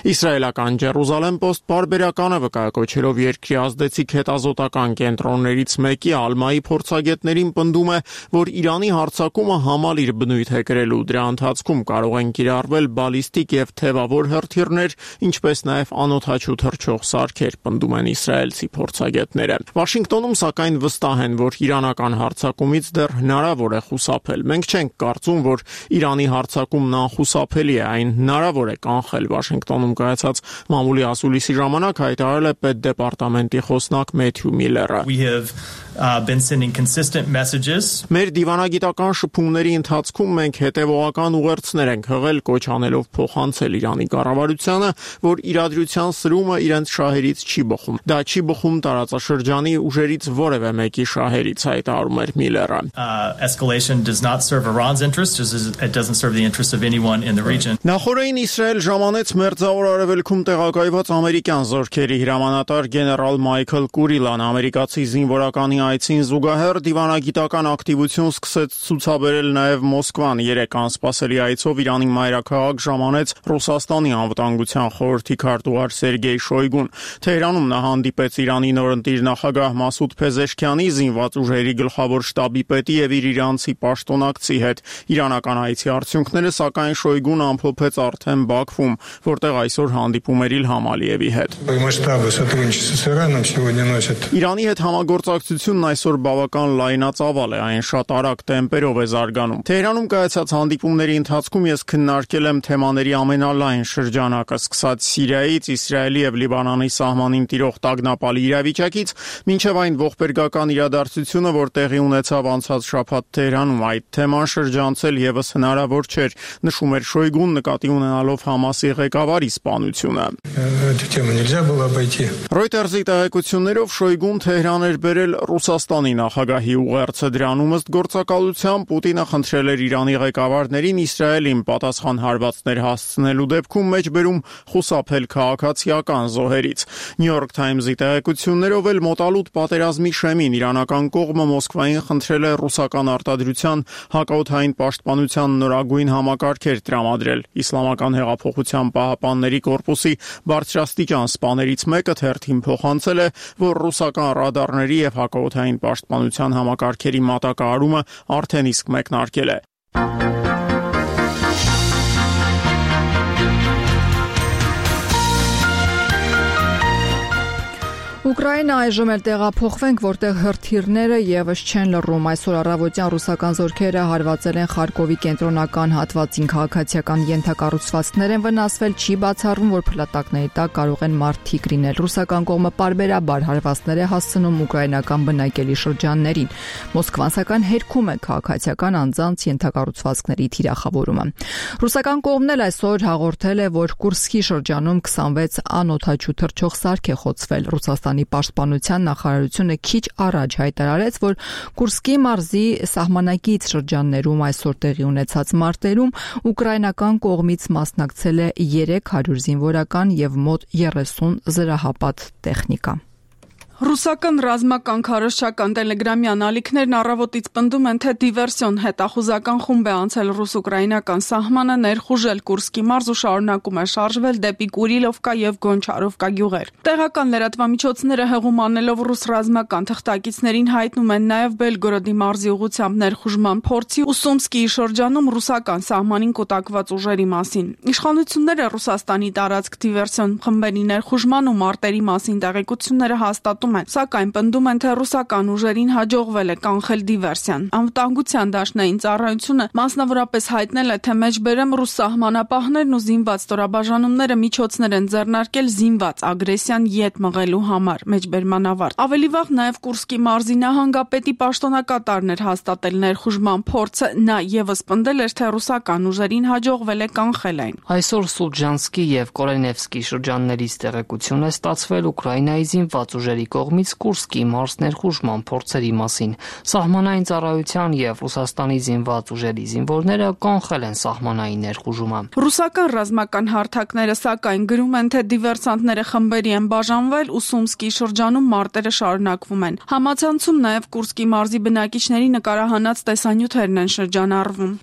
Speaker 7: Իսրայելական Ջերուսալեմ Պոստ բարբերականը վկայակոչելով երկրի ազդեցիկ հետազոտական կենտրոններից մեկի Ալմայի փորձագետներին պնդում է, որ Իրանի հարձակումը համալիր բնույթ է կրելու, դրա ընթացքում կարող են կիրառվել բալիստիկ եւ թևավոր հրթիռներ, ինչպես նաեւ անօդաչու թռչող սարքեր, պնդում են իսրայելցի փորձագետները։ Վաշինգտոնում սակայն վստահ են, որ իրանական հարձակումից դեռ հնարավոր է խուսափել։ Մենք չենք կարծում, որ Իրանի հարձակումն անխուսափելի է, հնարավոր է կանխել։ Վաշինգտոնում կայացած մամուլի ասուլիսի ժամանակ հայտարարել է պետդեպարտամենտի խոսնակ Մեթյու Միլլերը։ Մեր դիվանագիտական շփումների ընթացքում մենք հետևողական ուղերձներ ենք հղել, կոչ անելով փոխանցել Իրանի կառավարությանը, որ իրադրության սրումը իրենց շահերից չի բխում։ Դա չի բխում տարածաշրջանի ուժերից որևէ մեկի շահերից, հայտարարում էր Միլլերը։ Նախորդին Իսրայել ժամանեց Մերձավոր Արևելքում տեղակայված ամերիկյան զորքերի հրամանատար գեներալ Մայքլ Կուրիլան ամերիկացի զինվորականի այցին զուգահեռ դիվանագիտական ակտիվություն սկսեց ցուցաբերել նաև Մոսկվան։ Երեք անսպասելի այցով Իրանի մայրաքաղաք ժամանեց Ռուսաստանի անվտանգության խորհրդի քարտուղար Սերգեյ Շոյգուն։ Թեհրանում նա հանդիպեց Իրանի նորընտիր նախագահ Մասուդ Փեզեշքյանի, զինված ուժերի գլխավոր շտաբի պետի եւ իր իրանցի պաշտոնակցի հետ։ Իրանական այցի արդյունքները, սակայն Շոյգուն ամփոփել ամփոփեց արդեն Բաքվում, որտեղ այսօր հանդիպում էր Իլհամ Ալիևի հետ։ Իրանի հետ համագործակցությունն այսօր բավական լայնածավալ է, այն շատ արագ տեմպերով է զարգանում։ Թեհրանում կայացած հանդիպումների ընթացքում ես քննարկել եմ թեմաների ամենալայն շրջանակը, սկսած Սիրիայից, Իսրայելի եւ Լիբանանի սահմանին տիրող տագնապալի իրավիճակից, մինչև այն ողբերգական իրադարձությունը, որ տեղի ունեցավ անցած շաբաթ Թեհրանում, այդ թեման շրջանցել եւս հնարավոր չէր, նշում էր Շոյգուն, նկատի ունենալով Համասի ղեկավարի սպանությունը։ Reuters-ի տեղեկություններով Շոյգուն Թեհրան էր բերել Ռուսաստանի նախագահի ուղերձը, դրանում ըստ գործակալության Պուտինը խնդրել էր Իրանի ղեկավարներին Իսրայելին պատասխան հարվածներ հասցնելու դեպքում մեջբերում խուսափել քաղաքացիական զոհերից։ New York Times-ի տեղեկություններով էլ մոտալուտ պատերազմի շեմին իրանական կողմը Մոսկվային խնդրել է ռուսական արտադրության հակաօդային պաշտպանության նորագույն համակարգեր տրամադրել։ Իսլամական հեղափոխության պահապանների կորպուսի բարձրաստիճան սպաներից մեկը թերթին փոխանցել է, որ ռուսական ռադարների եւ հակաօդային պաշտպանության համակարգերի մատակարարումը արդեն իսկ մեկնարկել է։
Speaker 1: Ուկրաինա այժմ էլ տեղափոխվենք, որտեղ հրթիռները եւս չեն լռում։ Այսօր առավոտյան ռուսական զորքերը հարվածել են Խարկովի կենտրոնական հատվածին, քաղաքացիական ենթակառուցվածքներ են վնասվել, չի բացառվում, որ փլատակների տակ կարող են մարդիկ լինել։ Ռուսական կողմը պարբերաբար հարվածներ է հասցնում ուկրաինական բնակելի շրջաններին։ Մոսկվան սակայն հերքում է քաղաքացիական անձանց ենթակառուցվածքների թիրախավորումը։ Ռուսական կողմն էլ այսօր հաղորդել է, որ Կուրսկի շրջանում 26 անօդաչու թռչող սարք է խոցվել։ Ռուսաստանի պաշտպանության նախարարությունը քիչ առաջ հայտարարեց, որ Կուրսկի մարզի սահմանակից շրջաններում այսօր տեղի ունեցած մարտերում ուկրաինական կողմից մասնակցել է 300 զինվորական եւ մոտ 30 զրահապատ տեխնիկա։
Speaker 9: Ռուսական ռազմական քարոզչական տելեգրամյան ալիքներն առավոտից պնդում են, թե դիվերսիոն հետախուզական խումբ է անցել ռուս-ուկրաինական սահմանը, ներխուժել Կուրսկի մարզ ու շարունակում է շարժվել դեպի Կուրիլովկա եւ Գոնչարովկա գյուղեր։ Տեղական լրատվամիջոցները հեղում անելով ռուս ռազմական թղթակիցներին հայտնում են նաեւ Բելգորոդի մարզի ուղղությամբ ներխուժման փորձի ու Սումսկիի շրջանում ռուսական սահմանին կուտակված ուժերի մասին։ Իշխանությունները Ռուսաստանի տարածք դիվերսիոն խմբերի ներխուժման ու մարտերի մասին տեղեկությունները հաստատում են, սակայն պնդում են, թե ռուսական ուժերին հաջողվել է կանխել դիվերսիան։ Անվտանգության դաշնային ծառայությունը մասնավորապես հայտնել է, թե մեջբերեմ ռուս սահմանապահներն ու զինված ստորաբաժանումները միջոցներ են ձեռնարկել զինված ագրեսիան ետ մղելու համար։ Մեջբերման ավարտ։ Ավելի վաղ նաև Կուրսկի մարզի նահանգապետի պաշտոնակատարն էր հաստատել ներխուժման փորձը, նա եւս պնդել էր, թե ռուսական ուժերին հաջողվել է կանխել այն։
Speaker 22: Այսօր Սուլջանսկի եւ Կորենևսկի շրջաններից տեղեկություն է ստացվել Ուկրաինայի զինված ուժերի կողմից Կուրսկի մարզ ներխուժման փորձերի մասին։ Սահմանային ծառայության եւ Ռուսաստանի զինված ուժերի զինվորները կանխել են սահմանային ներխուժումը։
Speaker 9: Ռուսական ռազմական հարթակները սակայն գրում են, թե դիվերսանտները խմբերի են բաժանվել ու Սումսկի շրջանում մարտերը շարունակվում են։ Համացանցում նաեւ Կուրսկի մարզի բնակիչների նկարահանած տեսանյութերն են շրջանառվում։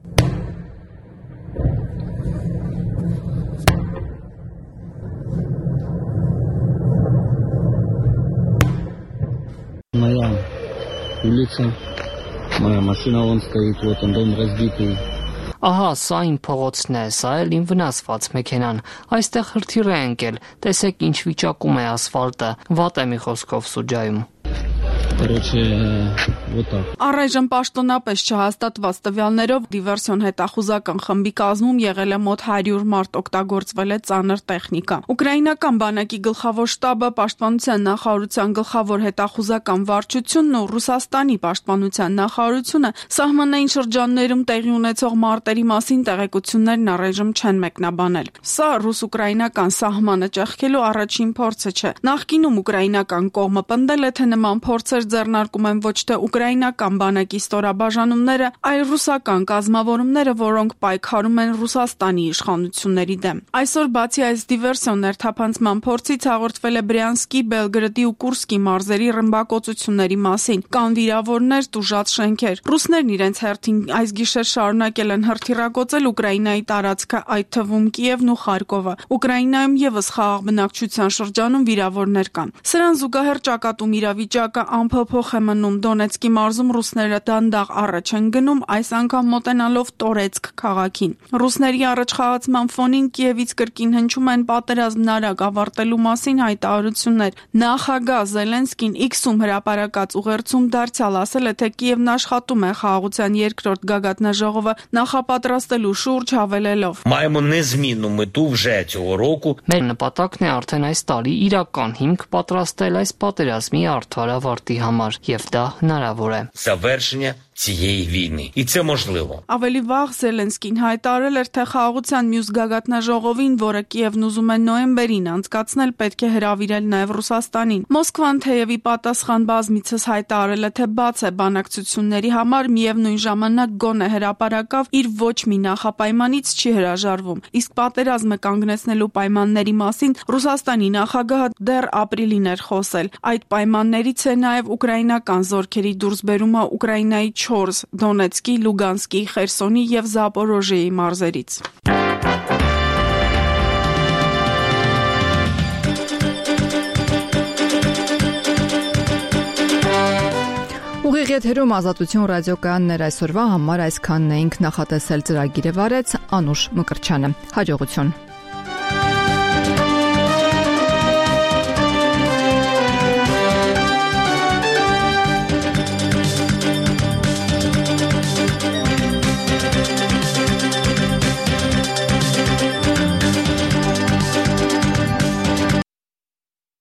Speaker 10: Моя улица, моя машина вон стоит, вот он дом разбитый.
Speaker 22: Ահա, սա իմ փողոցն է, սա էլ իմ վնասված մեքենան։ Այստեղ հրթիռ է ընկել։ Տեսեք ինչ վիճակում է ասֆալտը։ Վատ է մի խոսքով սուջայում։
Speaker 9: Առայժմ պաշտոնապես չհաստատված տվյալներով դիվերսիոն հետախուզական խմբի կազմում եղել է մոտ 100 մարդ, օգտագործվել է ծանր տեխնիկա։ Ուկրաինական բանակի գլխավոր շտաբը, պաշտպանության նախարարության գլխավոր հետախուզական վարչությունն ու Ռուսաստանի պաշտպանության նախարարությունը սահմանային շրջաններում տեղի ունեցող մարտերի մասին տեղեկություններն առայժմ չեն մեկնաբանել։ Սա ռուս-ուկրաինական սահմանը ճեղքելու առաջին փորձը չէ։ Նախկինում ուկրաինական կողմը պնդել է, թե նման փորձեր ձեռնարկում են ոչ թե ուկրաինական բանակի ստորաբաժանումները, այլ ռուսական կազմավորումները, որոնք պայքարում են Ռուսաստանի իշխանությունների դեմ։ Այսօր բացի այս դիվերսիոն ներթափանցման փորձից հաղորդվել է Բրյանսկի, Բելգրադի ու Կուրսկի մարզերի ռմբակոծությունների մասին։ Կան վիրավորներ, տուժած շենքեր։ Ռուսներն իրենց հերթին այս գիշեր շարունակել են հրթիռակոծել Ուկրաինայի տարածքը, այդ թվում Կիևն ու Խարկովը։ Ուկրաինայում եւս խաղաղ բնակչության շրջանում վիրավորներ կան։ Սրան զուգահեռ ճակատում իրավիճակը անփոփոխ է մնում։ Դոնեցկի մարզում ռուսները դանդաղ առաջ են գնում, այս անգամ մոտենալով Տորեցկ քաղաքին։ Ռուսների առաջխաղացման ֆոնին Կիևից կրկին հնչում են պատերազմն արագ ավարտելու մասին հայտարարություններ։ Նախագահ Զելենսկին X-ում հրապարակած ուղերձում դարձյալ ասել է, թե Կիևն աշխատում է խաղաղության երկրորդ գագաթնաժողովը նախապատրաստելու շուրջ, հավելելով.
Speaker 6: Маємо незмінну мету вже цього року.
Speaker 22: Մեր նպատակն է արդեն այս տարի իրական հիմք պատրաստել այս պատերազմի արդար ավարտի համար, եւ դա հնարավոր է։
Speaker 6: Завершення цієї війни. І це можливо.
Speaker 9: Ավելի վաղ Զելենսկին հայտարարել էր, թե խաղաղության մյուս գագաթնաժողովին, որը Կիևն ուզում է նոյեմբերին անցկացնել, պետք է հրավիրել նաև Ռուսաստանին։ Մոսկվան թեև ի պատասխան բազմիցս հայտարարել է, թե բաց է բանակցությունների համար, միևնույն ժամանակ գոնե հրապարակավ իր ոչ մի նախապայմանից չի հրաժարվում։ Իսկ պատերազմը կանգնեցնելու պայմանների մասին Ռուսաստանի նախագահը դեռ ապրիլին էր խոսել։ Այդ պայմաններից է նաև ուկրաինական զորքերի դուրսբերումը Ուկրաինայի 4 Դոնեցկի, Լուգանսկի, Խերսոնի եւ Զապորոժիեի մարզերից։
Speaker 1: Ուղիղ եթերում Ազատություն ռադիոկայաններ այսօրվա համար այսքանն էինք, նախատեսել ծրագիրը վարեց Անուշ Մկրտչյանը։ Հաջողություն։